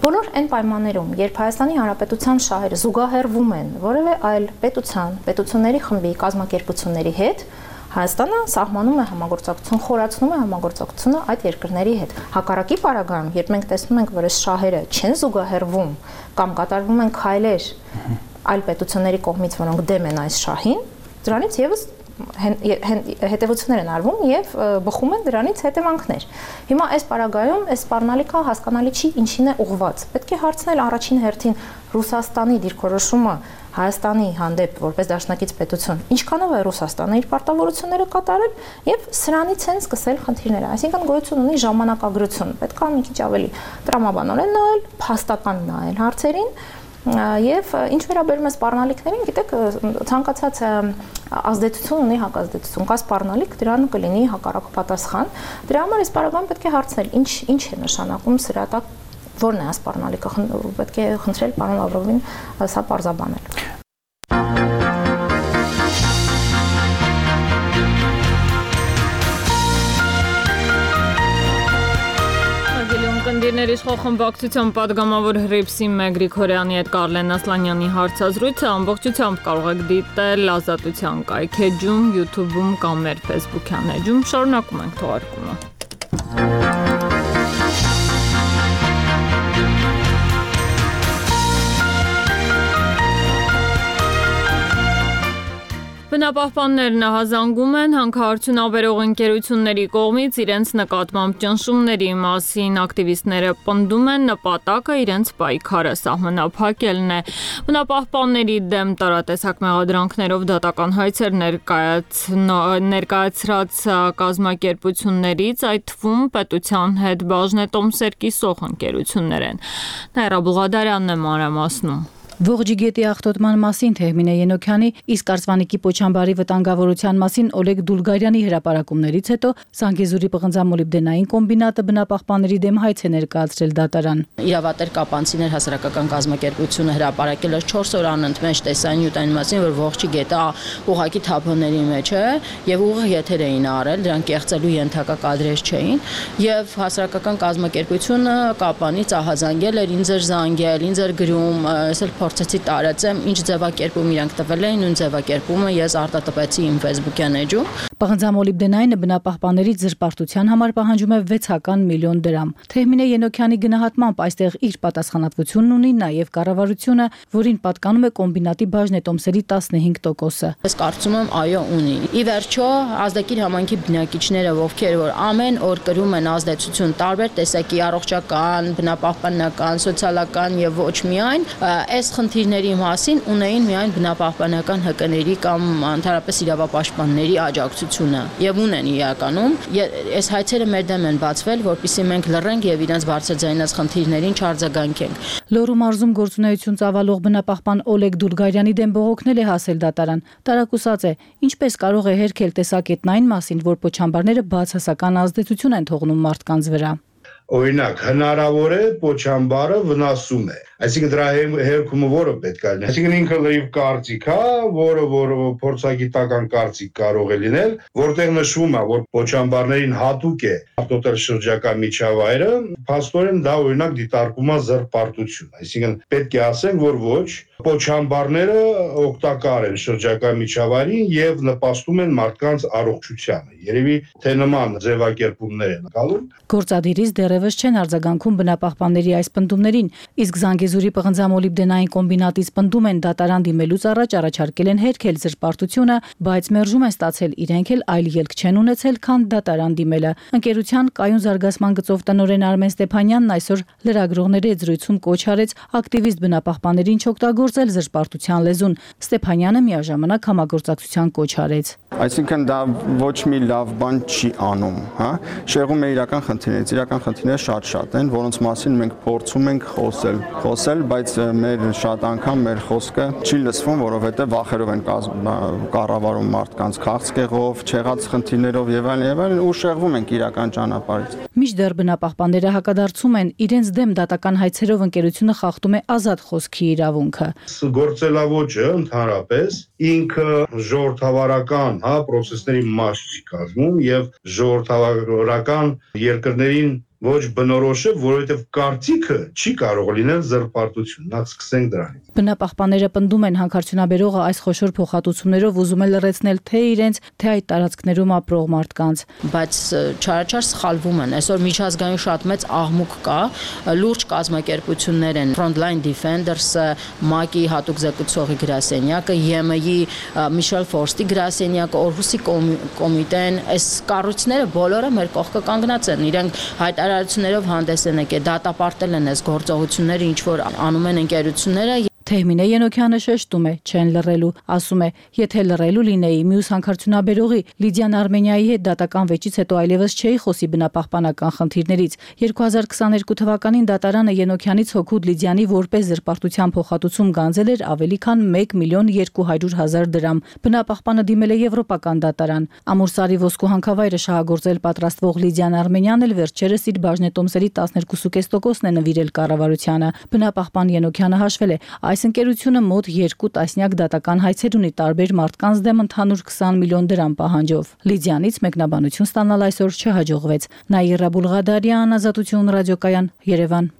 Բոլոր այն պայմաններում, երբ Հայաստանի Հանրապետության շահերը զուգահեռվում են որևէ այլ պետությունների խմբի կազմակերպությունների հետ, Հայաստանը սահմանում է համագործակցություն, խորացնում է համագործակցությունը այդ երկրների հետ։ Հակառակի պարագայում, երբ մենք տեսնում ենք, որ այս շահերը չեն զուգահեռվում կամ կատարվում են քայլեր այլ պետությունների կողմից, որոնք դեմ են այս շահին, դրանից եւս հետևություններ են արվում եւ բխում են դրանից հետևանքներ։ Հիմա այս պարագայում այս սպառնալիքը հասկանալի չի ինչին է ուղղված։ Պետք է հարցնել առաջին հերթին Ռուսաստանի դիրքորոշումը Հայաստանի հանդեպ որպես դաշնակից պետություն, ինչքանով է Ռուսաստանը իր պարտավորությունները կատարել եւ սրանից են սկսել խնդիրները։ Այսինքն գոյություն ունի ժամանակագրություն։ Պետք է մի քիչ ավելի տրամաբանորեն նայել, փաստական նայել հարցերին եւ ինչ վերաբերում է սպառնալիքներին, գիտեք, ցանկացած ազդեցություն ունի հակազդեցություն։ Կա սպառնալիք, դրան կլինի հակառակ պատասխան։ Դրա համար այս բaragան պետք է հարցնել, ինչ է նշանակում սրա տակ, որն է սպառնալիքը, պետք է խնդրել պարոն Լավրովին սա պարզաբանել։ Կնդիրներ իշխող խմբակցության պատգամավոր Հռիփսիմ Գրիգորյանի հետ Կարլեն Ասլանյանի հարցազրույցը ամբողջությամբ կարող եք դիտել Ազատության կայքեջում, YouTube-ում կամ մեր Facebook-յան էջում։ Շարունակում ենք թողարկումը։ Բնապահպաններն հազանգում են հանքարդյուն ավերող ընկերությունների կողմից իրենց նկատմամբ ճնշումների մասին, ակտիվիստները պնդում են նպատակը իրենց պայքարը սահմանափակելն է։ Բնապահպանների դեմ տարատեսակ մեղադրանքներով դատական հայցեր ներկայացրած կազմակերպություններից, այդ թվում պետության հետ բաժնետոմսեր կիսող ընկերություններ են։ Նաիրա Բուղադարյանն է մանրամասնում։ Ողջի գետի աղտոտման մասին Թեհմինե Ենոքյանի, իսկ Արցվանիկի Պոչամբարի վտանգավորության մասին Օլեգ Դուլգարյանի հրապարակումներից հետո Սանգեզուրի պղնձամոլիբդենային կոմբինատը բնապահպանների դեմ հայց է ներկայացրել դատարան։ Իրավատեր կապանցիներ հասարակական կազմակերպությունը հրապարակել էր 4 օր անընդմեջ տեսանյութ այն մասին, որ ողջի գետը ուղակի թափոնների մեջ է եւ ուղիղ եթեր էին արել, դրանք կեղծելու ենթակա կադրեր չէին եւ հասարակական կազմակերպությունը կապանից ահազանգել էր, ինձ էր զանգել, ինձ էր գրում, փորձեցի տարածեմ, ինչ ձևակերպում իրանք տվել էին, նույն ձևակերպումը ես արտատպեցի իմ Facebook-յան էջում։ Պղնձամոլիբդենայինը բնապահպաններից զրպարտության համար պահանջում է 600 միլիոն դրամ։ Թեհմինե Ենոքյանի գնահատմամբ այստեղ իր պատասխանատվությունն ունի նաև կառավարությունը, որին պատկանում է կոմբինատի բաժնետոմսերի 15%-ը։ Ես կարծում եմ, այո, ունի։ Ի վերջո, ազդակիր համայնքի բնակիչները, ովքեր որ ամեն օր կրում են ազդեցություն տարբեր տեսակի առողջական, բնապահպանական, սոցիալական եւ ոչ միայն, այս խնդիրների մասին ունեին միայն բնապահպանական ՀԿ-ների կամ ընդհանրապես իրավապաշտպանների աջակցությունը եւ ունեն իրականում։ Այս հայցերը մեր դեմ են բացվել, որպեսզի մենք լռենք եւ իրենց բարձրաձայնած խնդիրներին չարձագանքենք։ Լոռու մարզում գործունեություն ծավալող բնապահպան Օլեգ Դուլգարյանի դեմ բողոքնել է հասել դատարան։ Տարակուսած է, ինչպես կարող է հերքել տեսակետն այն մասին, որ պոչամբարները բացասական ազդեցություն են թողնում մարդկանց վրա։ Օրինակ, հնարավոր է պոչամբարը վնասում է։ Այսինքն դրա հերքումը որը պետք է լինի։ Այսինքն ինքը լրիվ կարծիք է, որը փորձագիտական կարծիք կարող է լինել, որտեղ նշվում է, որ պոչամբարներին հատուկ է արտոտել շրջակա միջավայրը, փաստորեն դա օրինակ դիտարկում է զրպարտություն։ Այսինքն պետք է ասենք, որ ոչ, պոչամբարները օգտակար են շրջակա միջավայրին եւ նպաստում են մարդկանց առողջությանը։ Երևի թե նման ձևակերպումներ են գալու։ Գործադիրից դեռևս չեն արձագանքում բնապահպանների այս պնդումներին, իսկ Զանգեզուրի պղնձամոլիբդենային կոմբինատից պնդում են դատարան դիմելուց առաջ առաջարկել են հերքել զրպարտությունը, բայց մերժում են ստացել իրենք էլ այլ ելք չեն ունեցել, քան դատարան դիմելը։ Ընկերության կայուն զարգացման գծով տնօրեն Արմեն Ստեփանյանն այսօր լրագրողների հետ զրույցում կոչ արեց ակտիվիստ բնապահպաններին չօգտագործել զրպարտության լեզուն։ Ստեփանյանը միաժամանակ համագործակցության կոչ արեց։ Այսինքն դա ոչ մի լավ բան չի անում, հա։ Շեղում է իրական խնդիրներից, իրական խնդիրները շատ են, որոնց մասին մենք փորձում ենք խոսել, բայց մեր շատ անգամ մեր խոսքը չի լսվում, որովհետև վախերով են կառավարում մարդկանց քաղցկեղով, չեղած խնդիրներով եւ այլն, ու շեղվում ենք իրական ճանապարհից։ Մինչդեռ բնապահպանները հակադարձում են, իրենց դեմ դատական հայցերով ընկերությունը խախտում է ազատ խոսքի իրավունքը։ Գործելավոճը ընդհանրապես ինքը ժողովրդավարական, հա, process-ների մաս չի կազմում եւ ժողովրդավարական երկրներին ոչ բնորոշ է, որովհետև կարծիքը չի կարող լինել զրպարտություն։ Նախ սկսենք դրանից։ Բնապահպանները պնդում են հանքարդյունաբերողը այս խոշոր փոխհատուցումներով ուզում է լրացնել թե իրենց, թե այդ տարածքներում ապրող մարդկանց։ Բայց չարաչար սխալվում են։ Այսօր միջազգային շատ մեծ աղմուկ կա, լուրջ կազմակերպություններ են Frontline Defenders-ը, ՄԱԿ-ի հատուկ զեկուցողի գրասենյակը, ԵՄ-ի Michel Forst-ի գրասենյակը, Օրհուսի կոմիտեն, այս կառույցները բոլորը մեր կողքը կանգնած են։ Իրենք հայտարարել հայտարարություններով հանդես են եկել, դատապարտել են այս գործողությունները, ինչ որ անում են ընկերությունները։ Թեհմինե Ենոքյանը շեշտում է, չեն լռելու, ասում է, եթե լռելու լինեի, մյուս հանքարդյունաբերողի Լիդիան Արմենիայի հետ դատական վեճից հետո այլևս չէի խոսի բնապահպանական խնդիրներից։ 2022 թվականին դատարանը Ենոքյանից հօգուտ Լիդիանի որպես զրպարտության փոխհատուցում գանձել էր ավելի քան 1.2 միլիոն դրամ։ Բնապահպանը դիմել է եվրոպական դատարան։ Ամուրսարի ոսկու հանքավայրը շահագործել պատրաստվող Լիդիան Արմենյանն էլ վերջերս իր բաժնետոմսերի 12.5%-ն է նվիրել կառավարությանը։ Բնապահպան Ենոքյանը հաշվել է, այս ընկերությունը մոտ 2 տասնյակ դատական հայցեր ունի տարբեր մարդկանց դեմ ընդհանուր 20 միլիոն դրամ պահանջով։ Լիդիանից մեկնաբանություն ստանալ այսօր չհաջողվեց։ Նաիրա Բուլղադարյան, Ազատություն ռադիոկայան, Երևան։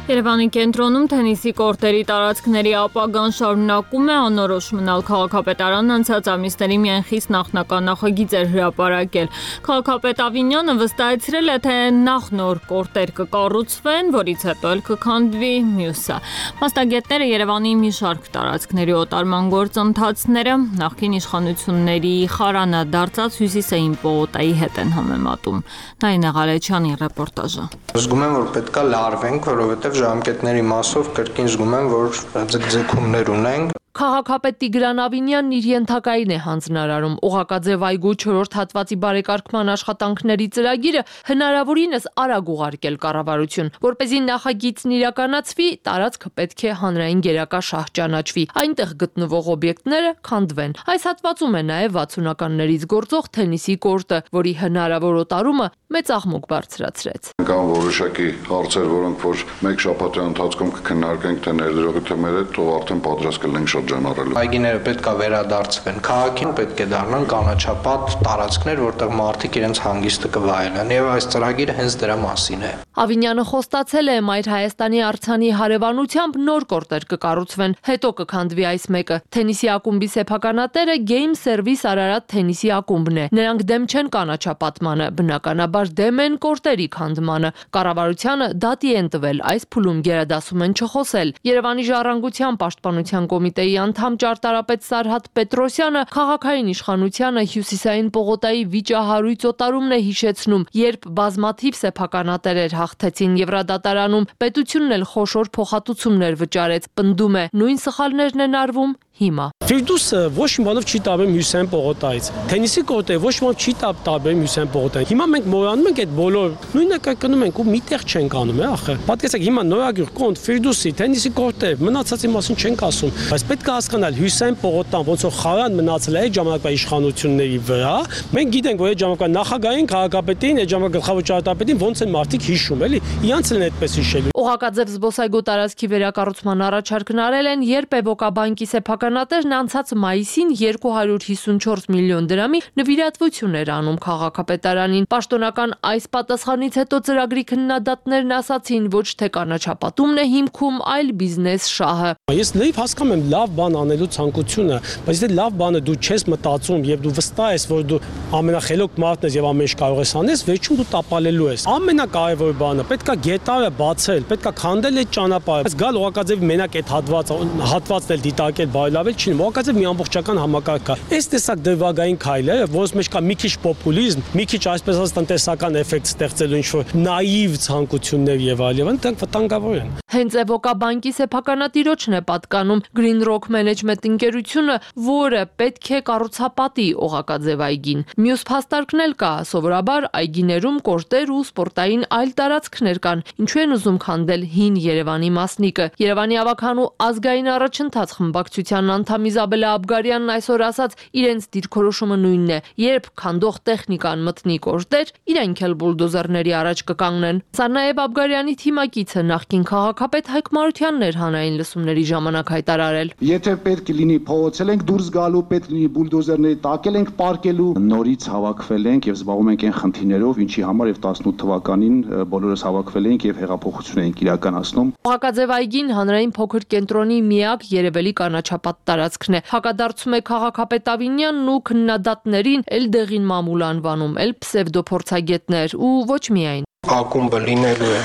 Երևանի կենտրոնում թենիսի կորտերի տարածքների ապագան շարունակում է անորոշ մնալ։ Քաղաքապետարանն անցած ամիսների միայն խիստ նախնական նախագիծ էր հրապարակել։ Քաղաքապետ Ավինյանը վստահեցրել է, թե նախ նոր կորտեր կկառուցվեն, որից հետո էլ կքանդվի մյուսը։ Մասնագետները Երևանի մի շարք տարածքների օտարման գործընթացները նախկին իշխանությունների խարանը դարձած Հյուսիսային պողոտայի հետ են համեմատում։ Նայինե Ղալեչյանի ռեպորտաժը։ Զգում եմ, որ պետքա լարվենք, որովհետև ժամկետների մասով կրկին զգում եմ, որ ձգձգումներ ունենք։ Քաղաքապետ Տիգրան Ավինյանն իր ենթակային է հանձնարարում Օղակաձև այգու 4-րդ հատվածի բարեկարգման աշխատանքների ծրագիրը հնարավորինս արագ ուղարկել կառավարություն, որպեսզի նախագիծն իրականացվի, տարածքը պետք է հանրային գերակա շահ ճանաչվի, այնտեղ գտնվող օբյեկտները քանդվեն։ Այս հատվածում է նաև 60-ականներից գործող թենիսի կորտը, որի հնարավոր օտարումը մեծ աղմուկ բարձրացրեց։ Կան որոշակի հարցեր, որոնք որ մեկ շաբաթի ընթացքում կքննարկենք, թե ներդրողի թե մեր հետ, ով արդեն պատրաստ կլինենք շրջանառելու։ Այգիները պետք է վերադարձվեն քաղաքին, պետք է դառնան կանաչապատ տարածքներ, որտեղ մարդիկ իրենց հանգիստը կվայելեն, եւ այս ծրագիրը հենց դրա մասին է։ Ավինյանը խոստացել է Մայր Հայաստանի արձանի հարևանությամբ նոր կորտեր կկառուցվեն, հետո կքանդվի այս մեկը։ Թենիսի ակումբի սեփականատերը Game Service Արարատ թենիսի ակումբն է։ Նրանք դեմ չեն կանաչապատմանը, բնականաբար դեմ են կորտերի քանդմանը։ Կառավարությանը դատի են տվել, այս փուլում գերադասում են չխոսել։ Երևանի ժառանգության պաշտպանության կոմիտեի անդամ ճարտարապետ Սարհատ Պետրոսյանը քաղաքային իշխանությանը Հյուսիսային պողոտայի վիճահարույց օտարումն է հիշեցնում, երբ բազմաթիվ սեփականատերեր հաղթեցին Եվրադատարանում, պետությունն էլ խոշոր փոխհատուցումներ վճարեց, պնդում է, նույն սխալներն են արվում հիմա։ Ֆիրդուսը ոչ մի բանով չի տարբերում Հյուսիսային պողոտայից։ Թենիսի կորտը ոչ մի բանով չի տարբերում Հյուսիսային պողոտայից։ Հիմա մենք մոռանում ենք այդ բոլոր նույնը կրկնում ենք ու միտեղ չենք անում, ախը։ Պատկերացեք, հիմա նորագյուղ կոնտ Ֆիրդուսի թենիսի կորտը մնացածի մասին չենք ասում, բայց պետք է հասկանալ Հյուսիսային պողոտան ոնց որ խարան մնացել է այդ ժամանակվա իշխանությունների վրա։ Մենք գիտենք, որ այդ ժամանակվա նախագահային, քաղաքապետին, այդ ժամանակվա գլխավոր ճարտարապետին ոնց են մարդիկ հիշում, էլի։ Իրանց են այդպես հիշելու։ Օղակաձև զբոսայգու տարածքի վերակառուցման առաջարկն արել են Երբևոկա բանկի սեփականատերն անցած մայիսին 254 միլիոն դրամի նվիրատվություն էր անում քաղաքապետարանին։ Պաշտոնական այս պատասխանից հետո ծրագրի քննադատներն ասացին, ոչ թե կանաչապատումն է հիմքում, այլ բիզնես շահը։ Ես լավ հասկանում եմ լավ բան անելու ցանկությունը, բայց եթե լավ բանը դու չես մտածում եւ դու վստահ ես, որ դու ամենախելոք մարդն ես եւ ամեն ինչ կարող ես անես, վերջում դու տապալելու ես։ Ամենակարևոր բանը պետքա գետարը բացել, պետքա քանդել այդ ճանապարհը։ Բայց գալ Օղակաձևի մենակ այդ հատվածն էլ դիտարկել բարելավել չի։ Օղակաձև մի ամբողջական համակարգ է։ Այս տեսակ դրվագային քայլ է, որոնց մեջ կա մի քիչ պոպուլիզմ, մի քիչ այսպես ասած տնտեսական էֆեկտ ստեղծելու ինչ-որ նաիվ ցանկություններ եւ այլն, դրանք վտանգավոր են։ Հենց Էվոկա բանկի սեփականատիրոջն է պատկանում Green Rock Management ընկերությունը, որը պետք է կառուցապատի Օղակաձև այգին։ Մյուս փաստարկն էլ կա, սովորաբար այգիներում կորտեր ու սպորտային այլ տարածքներ կան, ինչու են ուզում քանդել հին Երևանի մասնիկը։ Երևանի ավագանու ազգային առաջընթաց խմբակցության անդամ Իզաբելա Աբգարյանն այսօր ասաց, իրենց դիրքորոշումը նույնն է, երբ քանդող տեխնիկան մտնի կորտեր, իրենք էլ բուլդոզերների առաջ կկանգնեն։ Սա նաև Աբգարյանի թիմակիցը նախկին քաղաքապետ Հայկ Մարությանն էր հանրային լսումների ժամանակ հայտարարել։ Եթե պետք լինի փողոցել ենք դուրս գալու, պետք լինի բուլդոզերների տակել ենք պարկելու, նորից հավաքվել ենք եւ զբաղվում ենք այն խնդիրներով, ինչի համար եւ 18 թվականին բոլորս հավաքվել ենք եւ հեղափոխություն ենք իրականացնում։ Օղակաձև այգին հանրային փոքր կենտրոնի միակ երևելի կանաչապատ տարածքն է։ Հակադարձում է քաղաքապետ Ավինյանն ու քննադատներին էլ դեղին մամուլ անվանում, էլ պսևդոփորձագետներ ու ոչ միայն։ Ակումբը լինելու է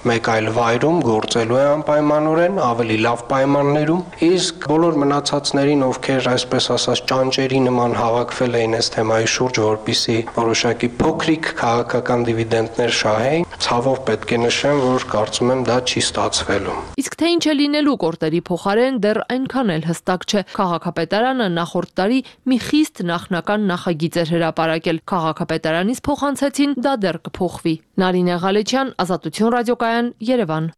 մեկ այլ վայրում գործելու է անպայմանորեն, ավելի լավ պայմաններում, իսկ բոլոր մնացածներին, ովքեր այսպես ասած ճանճերի նման հավաքվել էին այս թեմայի շուրջ, որպիսի որոշակի փոքրիկ քաղաքական դիվիդենդներ շահեին, ցավով պետք է նշեմ, որ կարծում եմ դա չի ստացվելու։ Իսկ թե ինչ է լինելու կորտերի փոխարեն դեռ այնքան էլ հստակ չէ։ Քաղաքապետարանը նախորդ տարի մի խիստ նախնական նախագիծ էր հրապարակել։ Քաղաքապետարանից փոխանցեցին, դա դեռ կփոխվի։ Նարինե Ղալեչյան, Ազատություն ռադիոկայան, Երևան։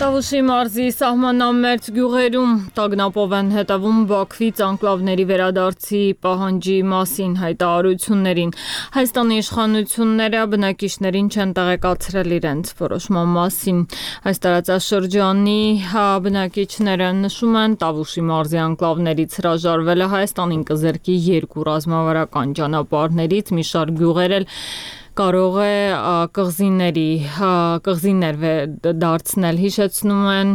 Տավուշի մարզի սահմանամերձ գյուղերում տագնապով են հետևում Բաքվից անկլավների վերադարձի պահանջի մասին հայտարարություններին։ Հայաստանի իշխանությունները բնակիչներին չեն տեղեկացրել իրենց որոշման մասին։ Այս տարածաշրջանի բնակիչները նշում են, Տավուշի մարզի անկլավներից հրաժարվելը Հայաստանին կզրկի երկու ռազմավարական ճանապարհներից, մի շարք գյուղեր էլ կարող է կղզիներ դարձնել, հիշեցնում են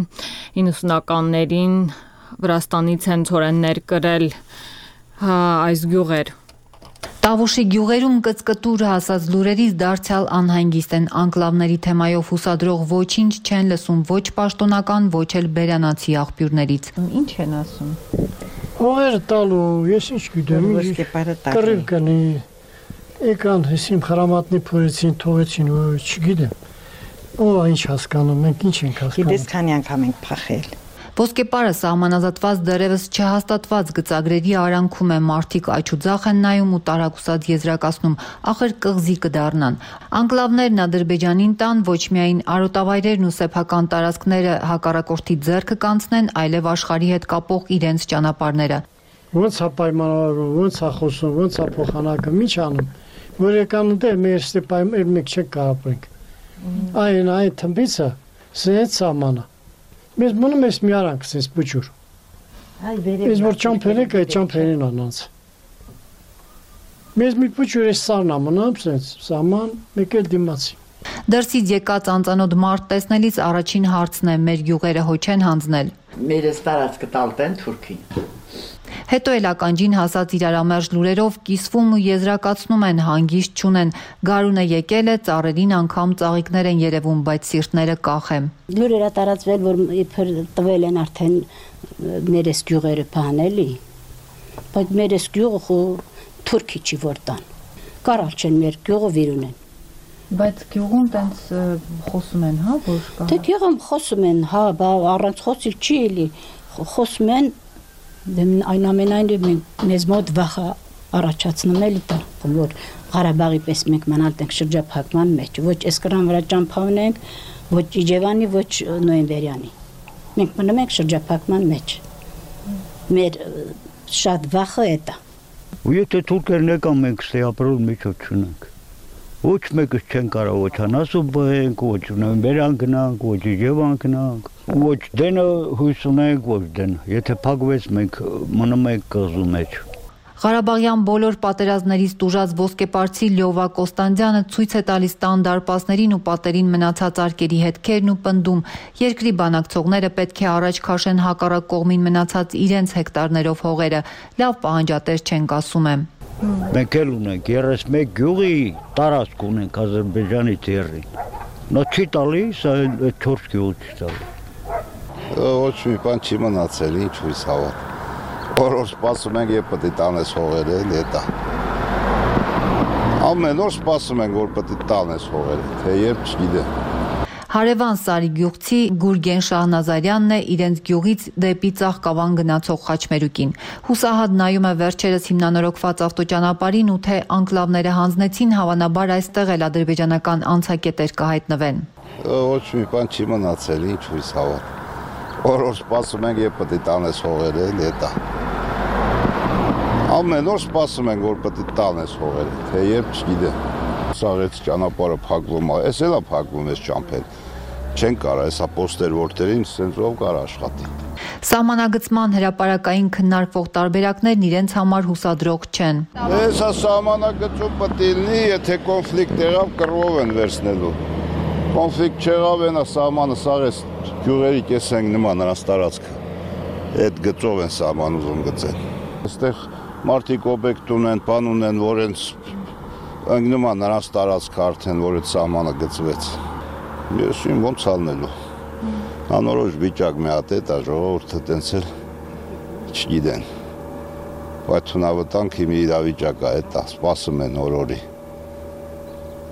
90-ականներին Վրաստանից են ցորեններ կրել այս գյուղեր։ Տավուշի գյուղերում կծկտուր հասած լուրերից դարձյալ անհանգիստ են, անկլավների թեմայով հուսադրող ոչինչ չեն լսում ոչ պաշտոնական, ոչ էլ բերանացի աղբյուրներից։ Ինչ են ասում։ Հողերը տալու, ես ինչ գիտեմ, կռիվ կնի։ Եկան հեսիմ խրամատնի փորեցին, թողեցին, չգիտեմ, ով ինչ հասկանում, մենք ինչ ենք հասկանում։ Գիտես քանի անգամ ենք փախել։ Ոսկեպարը սահմանազատված դեռևս չհաստատված գծագրերի արանքում է, մարդիկ աչուձախ են նայում ու տարակուսած եզրակացնում, ախր կղզի կդառնան։ Անկլավներն Ադրբեջանին տան, ոչ միայն արոտավայրերն ու սեփական տարածքները հակառակորդի ձեռքը կանցնեն, այլև աշխարհի հետ կապող իրենց ճանապարհները։ Ոնց է պայմանավորվում, ոնց է խոսում, ոնց է փոխանակում, ինչ անում, որ եկան դե մեր ստեպայմեր մեկ չենք կարապենք։ Այն թմբիցը սենց սամանը։ Մեզ մնում ես մի արանք սենց բուջուր։ Ես որ ճամփերեք, այդ ճամփերին անանց։ Մեզ մի բուջուր ես սարնա մնում սենց, սաման մեկ էլ դիմացի։ Դրսից եկած անծանոթ մարդ տեսնելիս առաջին հարցն է, մեր գյուղերը հո չեն հանձնել։ Մեր տարածքը տալտեն Թուրքին։ Հետո էլ ականջին հասած իրարամերժ լուրերով կիսվում ու եզրակացնում են, հանգիստ չունեն։ Գարունը եկել է, ծառերին անգամ ծաղիկներ են երևում, բայց սիրտները կախ է։ Լուրերը տարածվել, որ իբր տվել են արդեն մերես գյուղերը բանելի, բայց մերես գյուղը թուրքի չի որ տան։ Կարալ չեն մեր գյուղը վիրուն են։ Բայց գյուղում տենց խոսում են, հա, որ կա։ Դե գյուղում խոսում են, հա, առանց խոսիլ չի էլի, խոսում են այնուամենայնիվ մեզ մոտ վախը առաջացնում էլի դա, որ Ղարաբաղի պես մենք մնալ ենք շրջափակման մեջ, ոչ Էսկրան վրա ճամփա ունենք, ոչ Իջևանի, ոչ Նոյեմբերյանի։ Մենք մնում ենք շրջափակման մեջ։ Մեր շատ վախը է դա։ Ու եթե թուրքերն եկան, մենք ստե ապրել միջոց չունենք։ Ոչ մեկը չեն կարող ոչ անասու բենք, ոչ Նոյեմբերյան գնանք, ոչ Իջևան գնանք, ոչ դենը հույս ունենք, ոչ դենը։ Եթե փակվեց, մենք մնում ենք կղզու մեջ։ Ղարաբաղյան բոլոր պատերազմներից տուժած ոսկեպարցի Լյովա Կոստանդյանը ցույց է տալիս տան դարպասներին ու պատերին մնացած արկերի հետքերն ու պնդում, երկրի բանակցողները պետք է առաջ քաշեն հակառակ կողմին մնացած իրենց հեկտարներով հողերը, լավ պահանջատեր չենք ասում եմ։ Մենք էլ ունենք 31 գյուղի տարածք ունենք Ադրբեջանի ձեռին։ Նա չի տալիս, այլ 4 գյուղ չի տալի։ Ոչ մի բան չի մնացել, ինչ հույս հավատ։ Որ սպասում ենք, երբ պետք է տանես հողերը, դա։ Ամեն օր սպասում ենք, որ պետք է տանես հողերը, թե երբ չգիտեմ։ Հարևան Սարի գյուղցի Գուրգեն Շահնազարյանն է իրենց գյուղից դեպի Ծաղկավան գնացող խաչմերուկին։ Հուսահատ նայում է վերջերս հիմնանորոգված ավտոճանապարհին ու թե անկլավները հանձնեցին, հավանաբար այստեղ էլ ադրբեջանական անցակետեր կհայտնվեն։ Ոչ մի բան չի մնացել, ինչ հույս հավատ։ Որ սպասում ենք, երբ պետք է տանես հողերը, դա։ Ամեն օր սպասում ենք, որ պետք է տանես հողերը, թե երբ չգիտեմ։ Սաղեց ճանապարհը փակվում է, էս էլա փակվում էս ճամփեն։ Չեն կարող, հեսա պոստեր որտերին սենց ով կար աշխատի։ Սահմանագծման հրապարակային քննարկվող տարբերակներն իրենց համար հուսադրող չեն։ Հեսա սահմանագծում պետք է լինի, եթե կոնֆլիկտ եղավ, կռվով են վերցնելու։ Կոնֆլիկտ չեղավ, այնա սահմանը սաղես գյուղերի կեսենք նման նրանց տարածքը։ Այդ գծով են սահման ուզում գծեն։ Այստեղ մարդիկ օբյեկտ ունեն, բան ունեն, որ հենց ընկնում են նրանց տարածքը արդեն, որ այդ սահմանը գծվեց։ Ես իմ ոնց ալնելու։ Անորոշ վիճակ մի հատ է, դա ժողովուրդը տենց էլ չգիտեն։ Բայց թունավտանքի մի իրավիճակ է, դա սպասում են օրորի։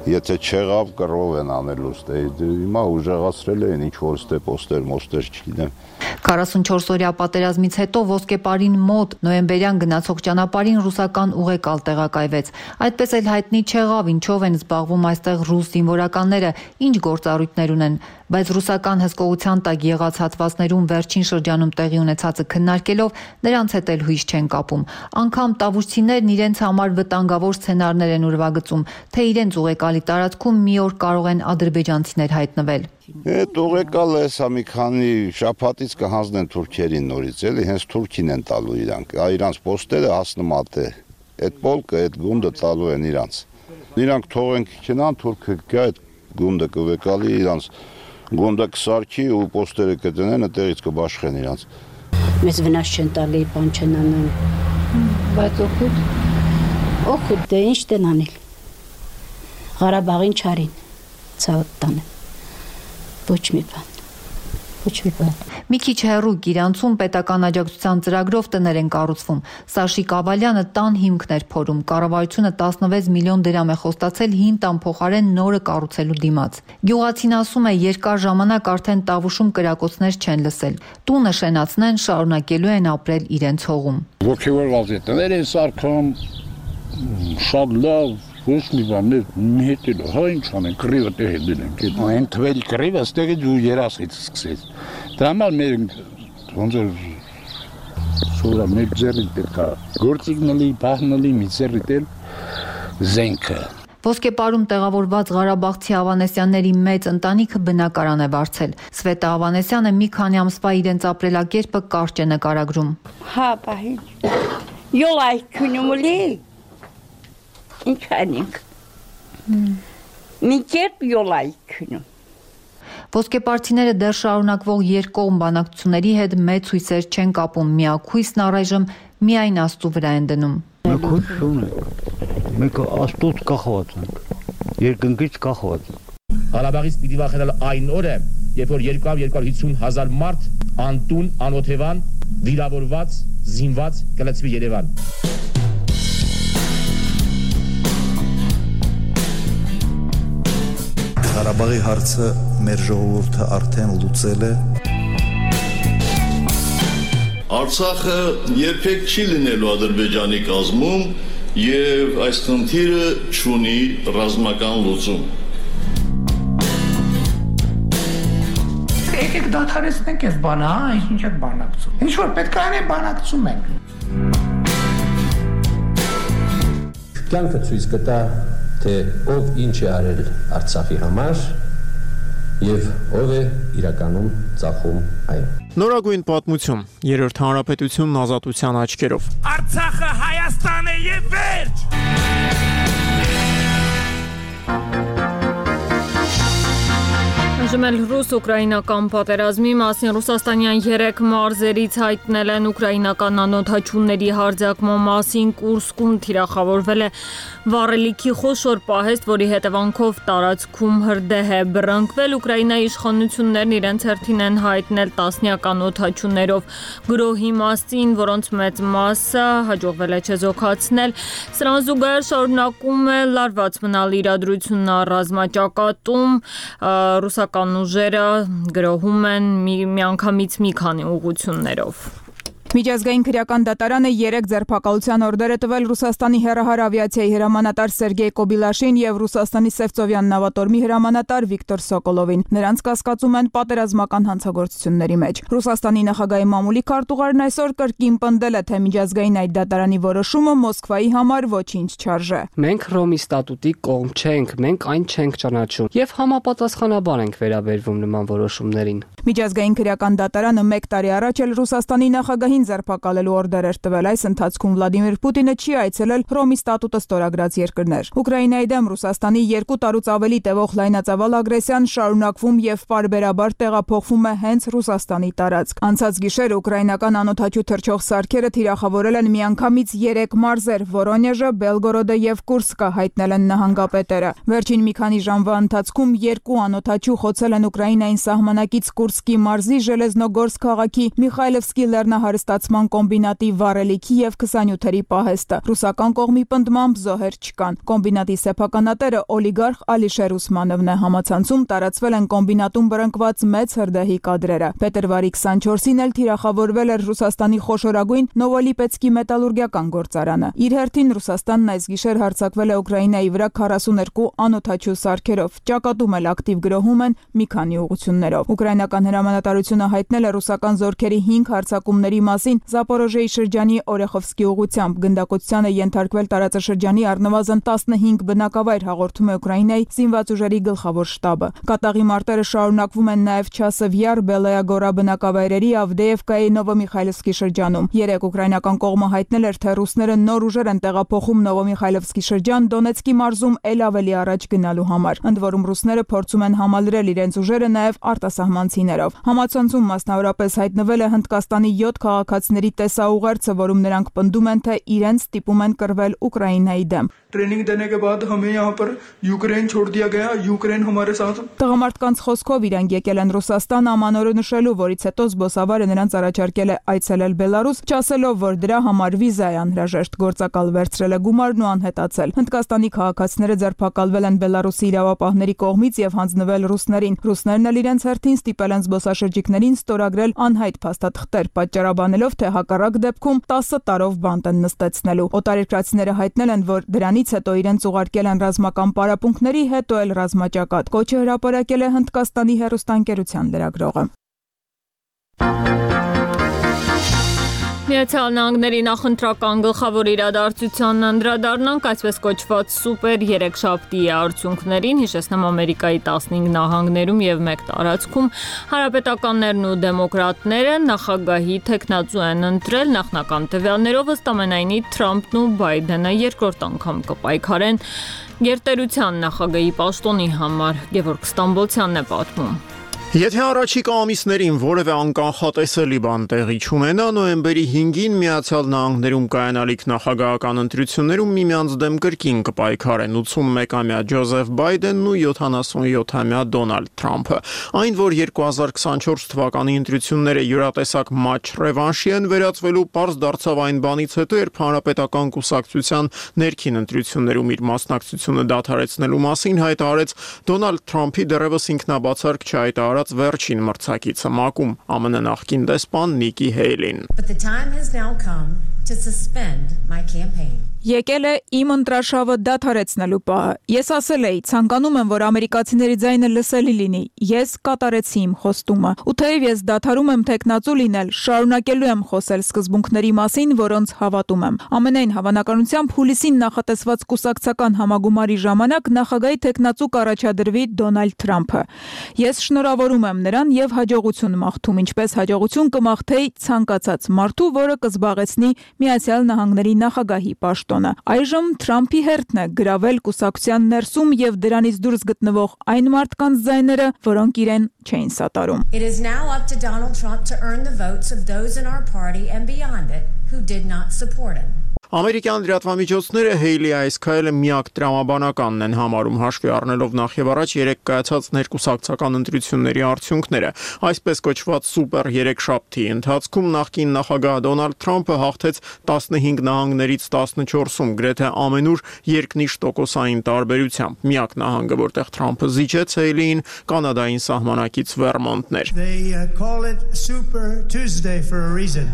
Եթե չեղավ կռով են անելու, հիմա ուժեղացրել են ինչ-որ ստե պոստեր, մոստեր չգիտեմ։ 44-օրյա պատերազմից հետո ոսկեպարին մոտ նոյեմբերյան գնացող ճանապարհին ռուսական ուղեկալ տեղակայվեց։ Այդպես էլ հայտնի չեղավ ինչով են զբաղվում այստեղ ռուս զինվորականները, ինչ գործառույթներ ունեն, բայց ռուսական հսկողության տակ եղած հատվածներում վերջին շրջանում տեղի ունեցածը քննարկելով նրանց հետ էլ հույս չեն կապում։ Անգամ տավուշցիներն իրենց համար վտանգավոր սցենարներ են ուրվագծում, թե իրենց ուղեկալի տարածքում մի օր կարող են ադրբեջանցիներ հայտնվել։ Այդ ուղեկալը հեսա մի քանի շաբաթից կհանձնեն թուրքերին նորից, էլի հենց թուրքին են տալու իրանք, իրանց պոստերը հասնմատ է, այդ պոլկը, այդ գունդը տալու են իրանց։ Իրանք թողենք չնան, թուրքը կա այդ գունդը կվեկալի իրանց, գունդը կսարքի ու պոստերը կտնեն, այդտեղից կբաշխեն իրանց։ Մեզ վնաս չեն տալի, բան չեն անում։ Բայց օգուտ։ Օգուտ դե ինչ տեն անել։ Ղարաբաղին չարին, ցավոտ տանը։ Ոչ մի բան։ Մի քիչ հեռու Գիրանցում պետական աջակցության ծրագրով տներ են կառուցվում։ Սաշիկ Ավալյանը տան հիմքն էր փորում։ Կառավարությունը 16 միլիոն դրամ է խոստացել հին տան փոխարեն նորը կառուցելու դիմաց։ Գյուղացին ասում է, երկար ժամանակ արդեն տավուշում կրակոցներ չեն լսել։ Տունը շենացնեն, շարունակելու են ապրել իրենց հողում։ Ոգևորված է, տներ են սարքում, շատ լավ ոչ մի բան մի հետել, հա ինչ անեն, կռիվը տեղ դնենք, այն թվել կռիվը ստեղից ու երասից սկսեց։ Դրա համար մեր ոնց որ սուրա մեր ձեռին պետք է գործիքնալի, բահնալի մի ձեռին զենքը։ Ոսկեպարում տեղավորված Ղարաբաղցի Ավանեսյանների մեծ ընտանիքը բնակարան է վարձել։ Սվետա Ավանեսյանը մի քանի ամսվա իրենց ապրելակերպը կարճ է նկարագրում։ Հա, բահի։ Յոլայ քունումլի Ինչ անենք։ Մի կերպ յոլայ քնում։ Ոսկեպարցիները դեռ շարունակվող երկկողմ բանակցությունների հետ մեծ հույսեր չեն կապում, միակույսն առայժմ միայն Աստծու վրա են դնում։ Մենք հույս չունենք, մենք Աստծուց կախված ենք, երկնքից կախված ենք։ Ղարաբաղից պիտի վախենալ այն օրը, երբ որ 250,000 մարդ անտուն, անօթևան, վիրավորված, զինված կլցվի Երևան։ Ղարաբաղի հարցը մեր ժողովուրդը արդեն լուծել է։ Արցախը երբեք չի լինելու Ադրբեջանի կազմում եւ այս խնդիրը չունի ռազմական լուծում։ Եկեք դադարեցնենք այս բանը, հա, ինչ եք բանակցում։ Ինչ որ պետք է անենք, բանակցում ենք։ Կյանքը ցույց կտա թե ով ինչ է արել Արցախի համար եւ ով է իրականում ծախում այն։ Նորագույն պատմություն, երրորդ հանրապետությունն ազատության աչքերով։ Արցախը Հայաստան է եւ վերջ։ Այժմ ռուս-ուկրաինական պատերազմի մասին ռուսաստանյան 3 մարզերից հայտնել են ուկրաինական անօդաչուների հարձակման մասին Կուրսկում թիրախավորվել է վառելիքի խոշոր պահեստ, որի հետևանքով տարածքում հրդեհ է բռնկվել։ Ուկրաինայի իշխանություններն իրենց հերթին են հայտնել տասնյակ անօդաչուներով գրոհի մասին, որոնց մեծ մասը հաջողվել է չեզոքացնել։ Սրան զուգահեռ շարունակում է լարված մնալ իրադրությունն ռազմաճակատում, ռուսական ուժերը գրոհում են միանգամից մի քանի ուղղություններով։ Միջազգային քրեական դատարանը 3 ձերբակալության օրդեր է տվել Ռուսաստանի հեռահար ավիացիայի հրամանատար Սերգեյ Կոբիլաշին եւ Ռուսաստանի Սևծովյան նավատորմի հրամանատար Վիկտոր Սոկոլովին։ Նրանց կասկածում են պատերազմական հանցագործությունների մեջ։ Ռուսաստանի նախագահի մամուլի քարտուղարն այսօր կրկին պնդել է, թե միջազգային այդ դատարանի որոշումը Մոսկվայի համար ոչինչ չարժե։ Մենք Ռոմի ստատուտի կողմ չենք, մենք այն չենք ճանաչում եւ համապատասխանաբար ենք վերաբերվում նման որոշումներին։ Միջազգային քրեական դատարանը 1 տարի առաջ էլ Ռուսաստանի նախագահին ձերբակալելու օրդեր էր տվել։ Այս ընթացքում Վլադիմիր Պուտինը չի այցելել Ռոմի ստատուտը ստորագրած երկրներ։ Ուկրաինայի դեմ Ռուսաստանի 2 տարուց ավելի տևող լայնածավալ ագրեսիան շարունակվում եւ պարբերաբար տեղափոխվում է հենց Ռուսաստանի տարածք։ Անցած գիշեր ուկրաինական անօդաչու թռչող սարքերը թիրախավորել են միանգամից 3 մարզեր՝ Վորոնեժը, Բելգորոդը եւ Կուրսկը, հայտնել են նահանգապետերը։ Վերջին մի քանի ժամվա ընթացքում 2 անօդաչու խոցել են Ուկրաինային սահմանակից Կուրսկի մարզի Ժելեզնոգորսկ քաղաքի Միխայլովսկի լեռնահարստացման կոմբինատի վառելիքի եւ 27-երի պահեստը։ Ռուսական կողմի պնդմամբ զոհեր չկան։ Կոմբինատի սեփականատերը օլիգարխ Ալիշեր Ուսմանովն է։ Համացանցում տարածվել են կոմբինատում բռնկված մեծ հրդեհի կադրերը։ Փետրվարի 24-ին էլ թիրախավորվել էր Ռուսաստանի խոշորագույն Նովոլիպեցկի մետալուրգիական գործարանը։ Իր հերթին Ռուսաստանն այս գիշեր հարձակվել է Ուկրաինայի վրա 42 անօդաչու սարքերով։ Ճակատում էլ ակտիվ գրոհում են մի քանի ուղղություններով։ Ուկրաինական հրամանատարությունը հայտնել է ռուսական զորքերի 5 հարձակումների մասին Զապորոժեի շրջանի Օրեխովսկի ուղղությամբ։ Գնդակոծությանը ենթարկվել տարածաշրջանի առնվազն 15 բնակավայր, հաղորդում է Ուկրաինայի զինված ուժերի գլխավոր շտաբը։ Կատաղի մարտերը շարունակվում են նաև Չասև Յար, Բելայագորա բնակավայրերի, Ավդեևկայի, Նովոմիխայլովսկի շրջանում։ Երեք ուկրաինական կողմը հայտնել էր, թե ռուսները նոր ուժեր են տեղափոխում Նովոմիխայլովսկի շրջան Դոնեցկի մարզում էլ ավելի առաջ գնալու համար։ Ընդ որում ռուսները փորձում են համալրել իրենց ուժերը նաև արտասահմանցիներով։ Համացանցում մասնավորապես հայտնվել է Հնդկաստանի 7 քաղաքացիների տեսաուղերձը, որում նրանք պնդում են, թե իրենց ստիպում են կռվել Ուկրաինայի դեմ։ ट्रेनिंग देने के बाद हमें यहाँ पर यूक्रेन छोड़ दिया गया यूक्रेन हमारे साथ Տղամարդկանց խոսքով իրանք եկել են Ռուսաստան ամանորը նշելու, որից հետո զբոսավարը նրանց առաջարկել է այցելել Բելարուս, չասելով, որ դրա համար վիզա է անհրաժեշտ։ Գործակալ վերցրել է գումարն ու անհետացել։ Հնդկաստանի քաղաքացիները ձերբակալվել են Բելարուսի իրավապահների կողմից եւ հանձնվել ռուսներին։ Ռուսներն էլ իրենց հերթին ստիպել են զբոսաշրջիկներին ստորագրել անհայտ փաստաթղթեր, պատճառաբանելով, թե հակառակ դեպքում 10 տարով բանտ են նստեցնելու։ Օտարերկրացիները հայտնել են, որ դրանից հետո իրենց ուղարկել են ռազմական պարապմունքների, հետո էլ ռազմաճակատ։ Կոչը հրապարակել է Հնդկաստանի հեռուստաընկերության լրագրողը։ Միացյալ Նահանգների նախընտրական գլխավոր իրադարձությանն անդրադառնանք այսպես կոչված սուպեր երեքշաբթի արդյունքներին, հիշեցնեմ Ամերիկայի 15 նահանգներում եւ 1 տարածքում հանրապետականներն ու դեմոկրատները նախագահի թեկնածու են ընտրել նախնական տվյալներով, ըստ ամենայնի Թրամփն ու Բայդենը երկրորդ անգամ կպայքարեն գերտերության նախագահի պաշտոնի համար։ Գևորգ Ստամբոլցյանն է պատմում։ Եթե առաջիկա ամիսներին որևէ անկանխատեսելի բան տեղի չունենա, նոյեմբերի 5-ին Միացյալ Նահանգներում կայանալիք նախագահական ընտրություններում միմյանց դեմ կրկին կպայքարեն 81-ամյա Ջոզեֆ Բայդենն ու 77-ամյա Դոնալդ Թրամփը։ Այն, որ 2024 թվականի ընտրությունները յուրատեսակ մաչ ռևանշի են վերածվելու, պարզ դարձավ այն բանից հետո, երբ Հանրապետական կուսակցության ներքին ընտրություններում իր մասնակցությունը դադարեցնելու մասին հայտարարեց Դոնալդ Թրամփի դեռևս ինքնաբացարկ չհայտարարած վերջին մրցակիցը ՄԱԿ-ում ԱՄՆ նախկին դեսպան Նիկի Հեյլին։ Եկել է իմ ընտրաշավը դադարեցնելու պահը։ Ես ասել էի, ցանկանում եմ, որ ամերիկացիների ձայնը լսելի լինի։ Ես կատարեցի իմ խոստումը։ Ու թեև ես դադարում եմ տեխնացու լինել, շարունակելու եմ խոսել սկզբունքների մասին, որոնց հավատում եմ։ Ամենայն հավանականությամբ հուլիսին նախատեսված կուսակցական համագումարի ժամանակ նախագահի տեխնացու կառաջադրվի Դոնալդ Թրամփը։ Ես շնորհավորում եմ նրան եւ հաջողություն մաղթում, ինչպես հաջողություն կմաղթեի ցանկացած մարդու, որը կզբաղեցնի Միացյալ Նահանգների նախագահի պաշտոնը։ Այժմ Թրամփի հերթն է գրավել կուսակցության ներսում եւ դրանից դուրս գտնվող այն մարդկանց ձայները, որոնք իրեն չէին սատարում։ It is now up to Donald Trump to earn the votes of those in our party and beyond it who did not support him. Ամերիկյան լրատվամիջոցները Հեյլի այս քայլը միակ տրամաբանականն են համարում, հաշվի առնելով նախևառաջ 3 կայացած ներկուսակցական ընտրությունների արդյունքները։ Այսպես կոչված սուպեր 3-շաբթի ընթացքում նախկին նախագահ Դոնալդ Թրամփը հաղթեց 15 նահանգներից 14-ում, գրեթե ամենուր երկնիշ տոկոսային տարբերությամբ։ Միակ նահանգը, որտեղ Թրամփը զիջեց Հեյլիին, Կանադային սահմանակից Վերմոնտն էր։ They call it Super Tuesday for a reason.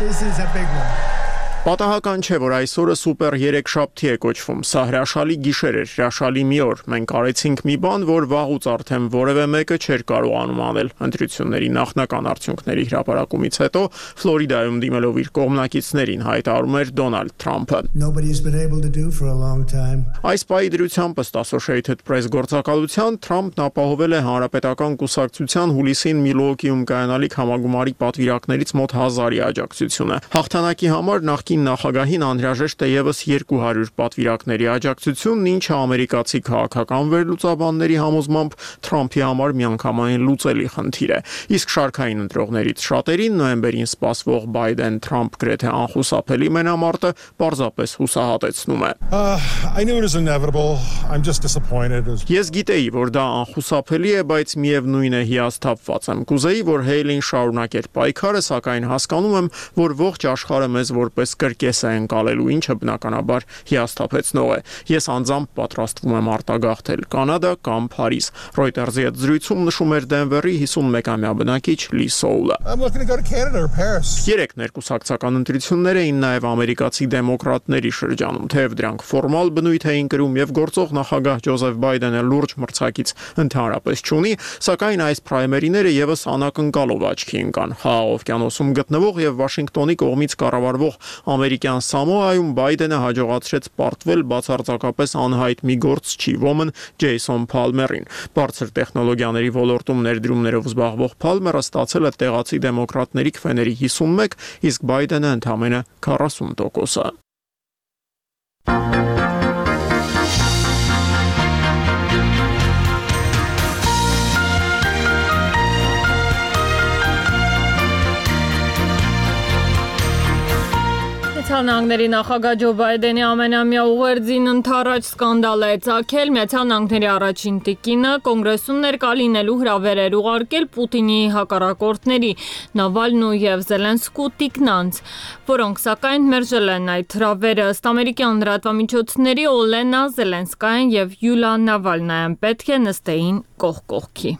This is a big one. Պատահական չէ, որ այսօրը սուպեր 3-շաբթի է կոչվում։ Սա հրաշալի գիշեր էր, հրաշալի մի օր։ Մենք արեցինք մի բան, որ վաղուց արդեն որևէ մեկը չէր կարողանում անել։ Ընտրությունների նախնական արդյունքների հրապարակումից հետո Ֆլորիդայում դիմելով իր կողմնակիցներին հայտարարում էր Դոնալդ Թրամփը։ Nobody's been able to do for a long time. Այս պահի դրությամբ ըստ Associated Press գործակալության Թրամփն ապահովել է հանրապետական կուսակցության հուլիսին Միլուոկիում կայանալիք համագումարի պատվիրակներից մոտ 1000-ի աջակցությունը։ Հաղթանակի համար նախկին նախագահին անհրաժեշտ է ևս 200 պատվիրակների աջակցությունն, ինչը ամերիկացի քաղաքական վերլուծաբանների համոզմամբ Թրամփի համար միանգամայն լուծելի խնդիր է։ Իսկ շարքային ընտրողներից շատերին նոյեմբերին սպասվող Բայդեն-Թրամփ գրեթե անխուսափելի մենամարտը պարզապես հուսահատեցնում է։ I knew it was inevitable. I'm just disappointed. Ես գիտեի, որ դա անխուսափելի է, բայց միևնույն է հիասթափված եմ։ Կուզեի, որ Հեյլին շարունակեր պայքարը, սակայն հասկանում եմ, որ ողջ աշխարհը մեզ որպես կրկես է ընկալելու, ինչը բնականաբար հիասթափեցնող է։ Ես անձամբ պատրաստվում եմ արտագաղթել Կանադա կամ Փարիզ։ Reuters-ի հետ զրույցում նշում էր Դենվերի 51-ամյա բնակիչ Լի Սոուլը։ I'm looking to go to Canada or Paris. Երեք ներկուսակցական ընտրություններ էին նաև ամերիկացի դեմոկրատների շրջանում, թեև դրանք ֆորմալ բնույթ էին կրում եւ գործող նախագահ Ջոզեֆ Բայդենը լուրջ մրցակից ընդհանրապես չունի, սակայն այս պրայմերիները եւս անակնկալով աչքի ընկան։ Խաղաղ օվկիանոսում գտնվող եւ Վաշինգտոնի կողմից կառավարվող ամերիկյան Սամոայում Բայդենը հաջողացրեց պարտվել բացարձակապես անհայտ մի գործչի ոմն Ջեյսոն Փալմերին։ Բարձր տեխնոլոգիաների ոլորտում ներդրումներով զբաղվող Փալմերը ստացել է տեղացի դեմոկրատների քվեների 51, իսկ Բայդենը ընդամենը 40%։ Նահանգների նախագահ Ջո Բայդենի ամենամյա ուղերձին ընդառաջ սկանդալ է ծագել։ Միացյալ Նահանգների առաջին տիկինը կոնգրեսում ներկա լինելու հրավեր ուղարկել Պուտինի հակառակորդների Նավալնու եւ Զելենսկու տիկնանց, որոնք սակայն մերժել են այդ հրավերը։ Ըստ ամերիկյան լրատվամիջոցների Օլենա Զելենսկայան եւ Յուլիա Նավալնայան պետք է նստեին կողք կողքի։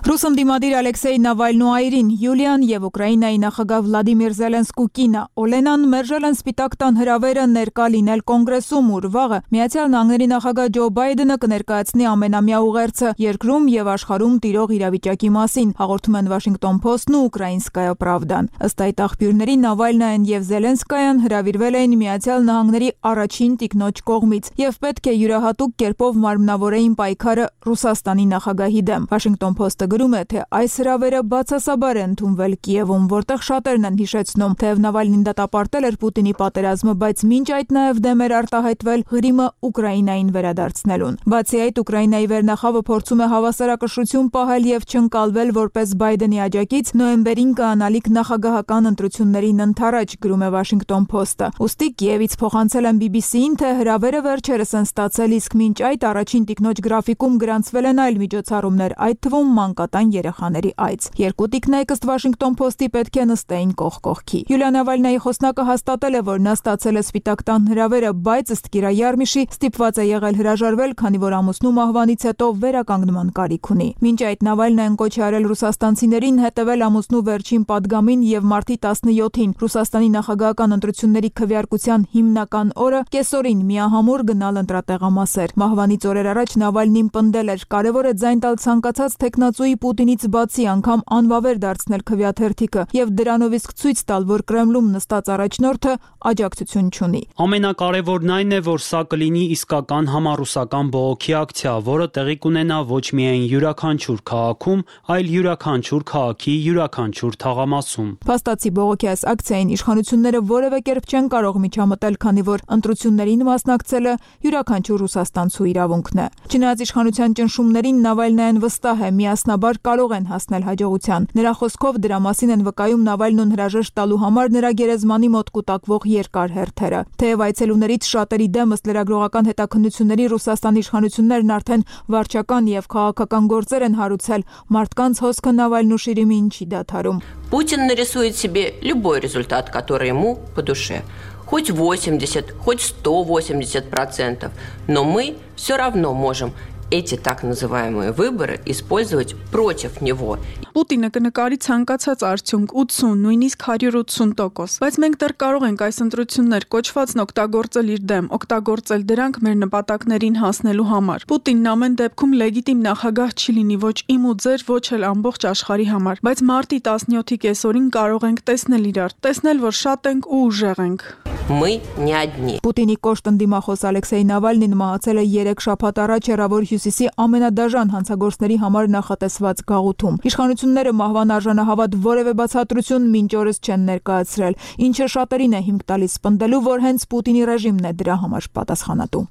Ռուս ընդդիմադիր Ալեքսեյ Նավալնոյին, Յուլիան եւ Ուկրաինայի նախագահ Վլադիմիր Զելենսկու կինը Օլենան մերժել են Սպիտակ տան հրավերը ներկա լինել կոնգրեսում, ուր վաղը Միացյալ Նահանգների նախագահ Ջո Բայդենը կներկայացնի ամենամյա ուղերձը երկրում եւ աշխարհում տիրող իրավիճակի մասին, հաղորդում են Washington Post-ն ու Ուկրաինսկայա Պրավդան։ Ըստ այդ աղբյուրների Նավալնայան եւ Զելենսկայան հրավիրվել էին Միացյալ Նահանգների առաջին տիկնոջ կողմից եւ պետք է յուրահատուկ կերպով մարմնավորեին պայքարը Ռուսաստանի նախագահի դեմ։ Washington Post-ը գրում է, թե այս հրավերը բացասաբար է ընդունվել Կիևում, որտեղ շատերն են հիշեցնում, թեև Նավալնին դատապարտել էր Պուտինի պատերազմը, բայց մինչ այդ նաև դեմ էր արտահայտվել Ղրիմը Ուկրաինային վերադարձնելուն։ Բացի այդ, Ուկրաինայի վերնախավը փորձում է հավասարակշռություն պահել եւ չընկալվել որպես Բայդենի աջակից նոյեմբերին կանալիք նախագահական ընտրություններին ընդառաջ, գրում է Washington Post-ը։ Ուստի Կիևից փոխանցել են BBC-ին, թե հրավերը վերջերս են ստացել, իսկ մինչ այդ առաջին տիկնոջ գրաֆիկում գրանցվել են այլ միջոցառումներ, այդ թվում մանկատան երեխաների այց։ Երկու տիկնայք ըստ Washington Post-ի պետք է նստեին կողք կողքի։ Յուլիա Նավալնայի խոսնակը հաստատել է, որ նա ստացել է Սպիտակ տան հրավերը, բայց ըստ Կիրա Յարմիշի ստիպված է եղել հրաժարվել, քանի որ ամուսնու մահվանից հետո վերականգնման կարիք ունի։ Մինչ այդ Նավալնային կոչ է արել ռուսաստանցիներին հետևել ամուսնու վերջին պատգամին եւ մարտի 17-ին Ռուսաստանի նախագահական ընտրությունների քվեարկության հիմնական օրը կեսօրին միահամուռ գնալ ընտրատեղամասեր։ Մահվանից օրեր առաջ Նավալնին պնդել էր, կարևոր է ձայն տալ ցանկացած տեխնացուի Պուտինից բացի անգամ անվավեր դարձնել քվեաթերթիկը եւ դրանով իսկ ցույց տալ, որ Կրեմլում նստած առաջնորդը աջակցություն չունի։ Ամենակարևորն այն է, որ սա կլինի իսկական համառուսական բողոքի ակցիա, որը տեղի կունենա ոչ միայն յուրաքանչյուր քաղաքում, այլ յուրաքանչյուր քաղաքի յուրաքանչյուր թաղամասում։ Փաստացի բողոքի այս ակցիային իշխանությունները որևէ կերպ չեն կարող միջամտել, քանի որ ընտրություններին մասնակցելը յուրաքանչյուր ռուսաստանցու իրավունքն է։ Չնայած իշխանության ճնշումներին Նավալնայան վստահ է, միասնական անմիջախոսնաբար կարող են հասնել հաջողության։ Նրա խոսքով դրա մասին են վկայում Նավալնուն հրաժեշտ տալու համար նրա գերեզմանի մոտ կուտակվող երկար հերթերը։ Թեև այցելուներից շատերի դեմ ըստ լրագրողական հետաքննությունների Ռուսաստանի իշխանություններն արդեն վարչական եւ քաղաքական գործեր են հարուցել, մարդկանց հոսքը Նավալնու շիրիմին չի դադարում։ Путин нарисует себе любой результат, который ему по душе. Хоть 80, хоть 180%, но мы все равно можем эти так называемые выборы использовать против него. Պուտինը կնկարի ցանկացած արդյունք 80, նույնիսկ 180%, բայց մենք դեռ կարող ենք այս ընտրություններ կոչվածն օգտագործել իր դեմ, օգտագործել դրանք մեր նպատակներին հասնելու համար։ Պուտինն ամեն դեպքում լեգիտիմ նախագահ չի լինի ոչ իմ ու ձեր, ոչ էլ ամբողջ աշխարհի համար, բայց մարտի 17-ի կեսօրին կարող ենք տեսնել իրար, տեսնել, որ շատ ենք ու ուժեղ ենք։ Мы не одни. Պուտինի կոշտ ընդդիմախոս Ալեքսեյ Նավալնին մահացել է 3 շաբաթ առաջ Հեռավոր Հյուսիսի ամենադաժան հանցագործների համար նախատեսված գաղութում։ Իշխանությունները մահվան արժանահավատ որևէ բացատրություն մինչ օրս չեն ներկայացրել, ինչը շատերին է հիմք տալիս սպնդելու, որ հենց Պուտինի ռեժիմն է դրա համար պատասխանատու։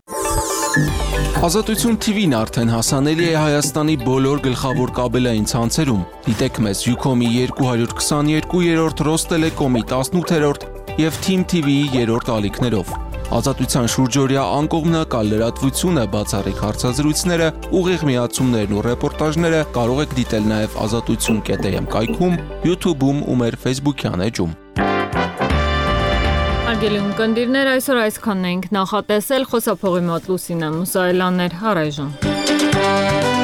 Ազատություն TV-ն արդեն հասանելի է Հայաստանի բոլոր գլխավոր կաբելային ցանցերում։ Դիտեք մեզ Ucom-ի 222-րդ, Ռոստելեկոմի 18-րդ եւ Team TV-ի 3-րդ ալիքներով։ Ազատության շուրջօրյա անկողմնակալ լրատվությունը, բացառիկ հարցազրույցները, ուղիղ միացումներն ու ռեպորտաժները կարող եք դիտել նաեւ azatutsun.am կայքում, YouTube-ում ու մեր Facebook-յան էջում։ Արգելի ունկնդիրներ, այսօր այսքանն ենք նախատեսել, խոսափողի մոտ Լուսինե Մուսայելյանն էր, առայժմ։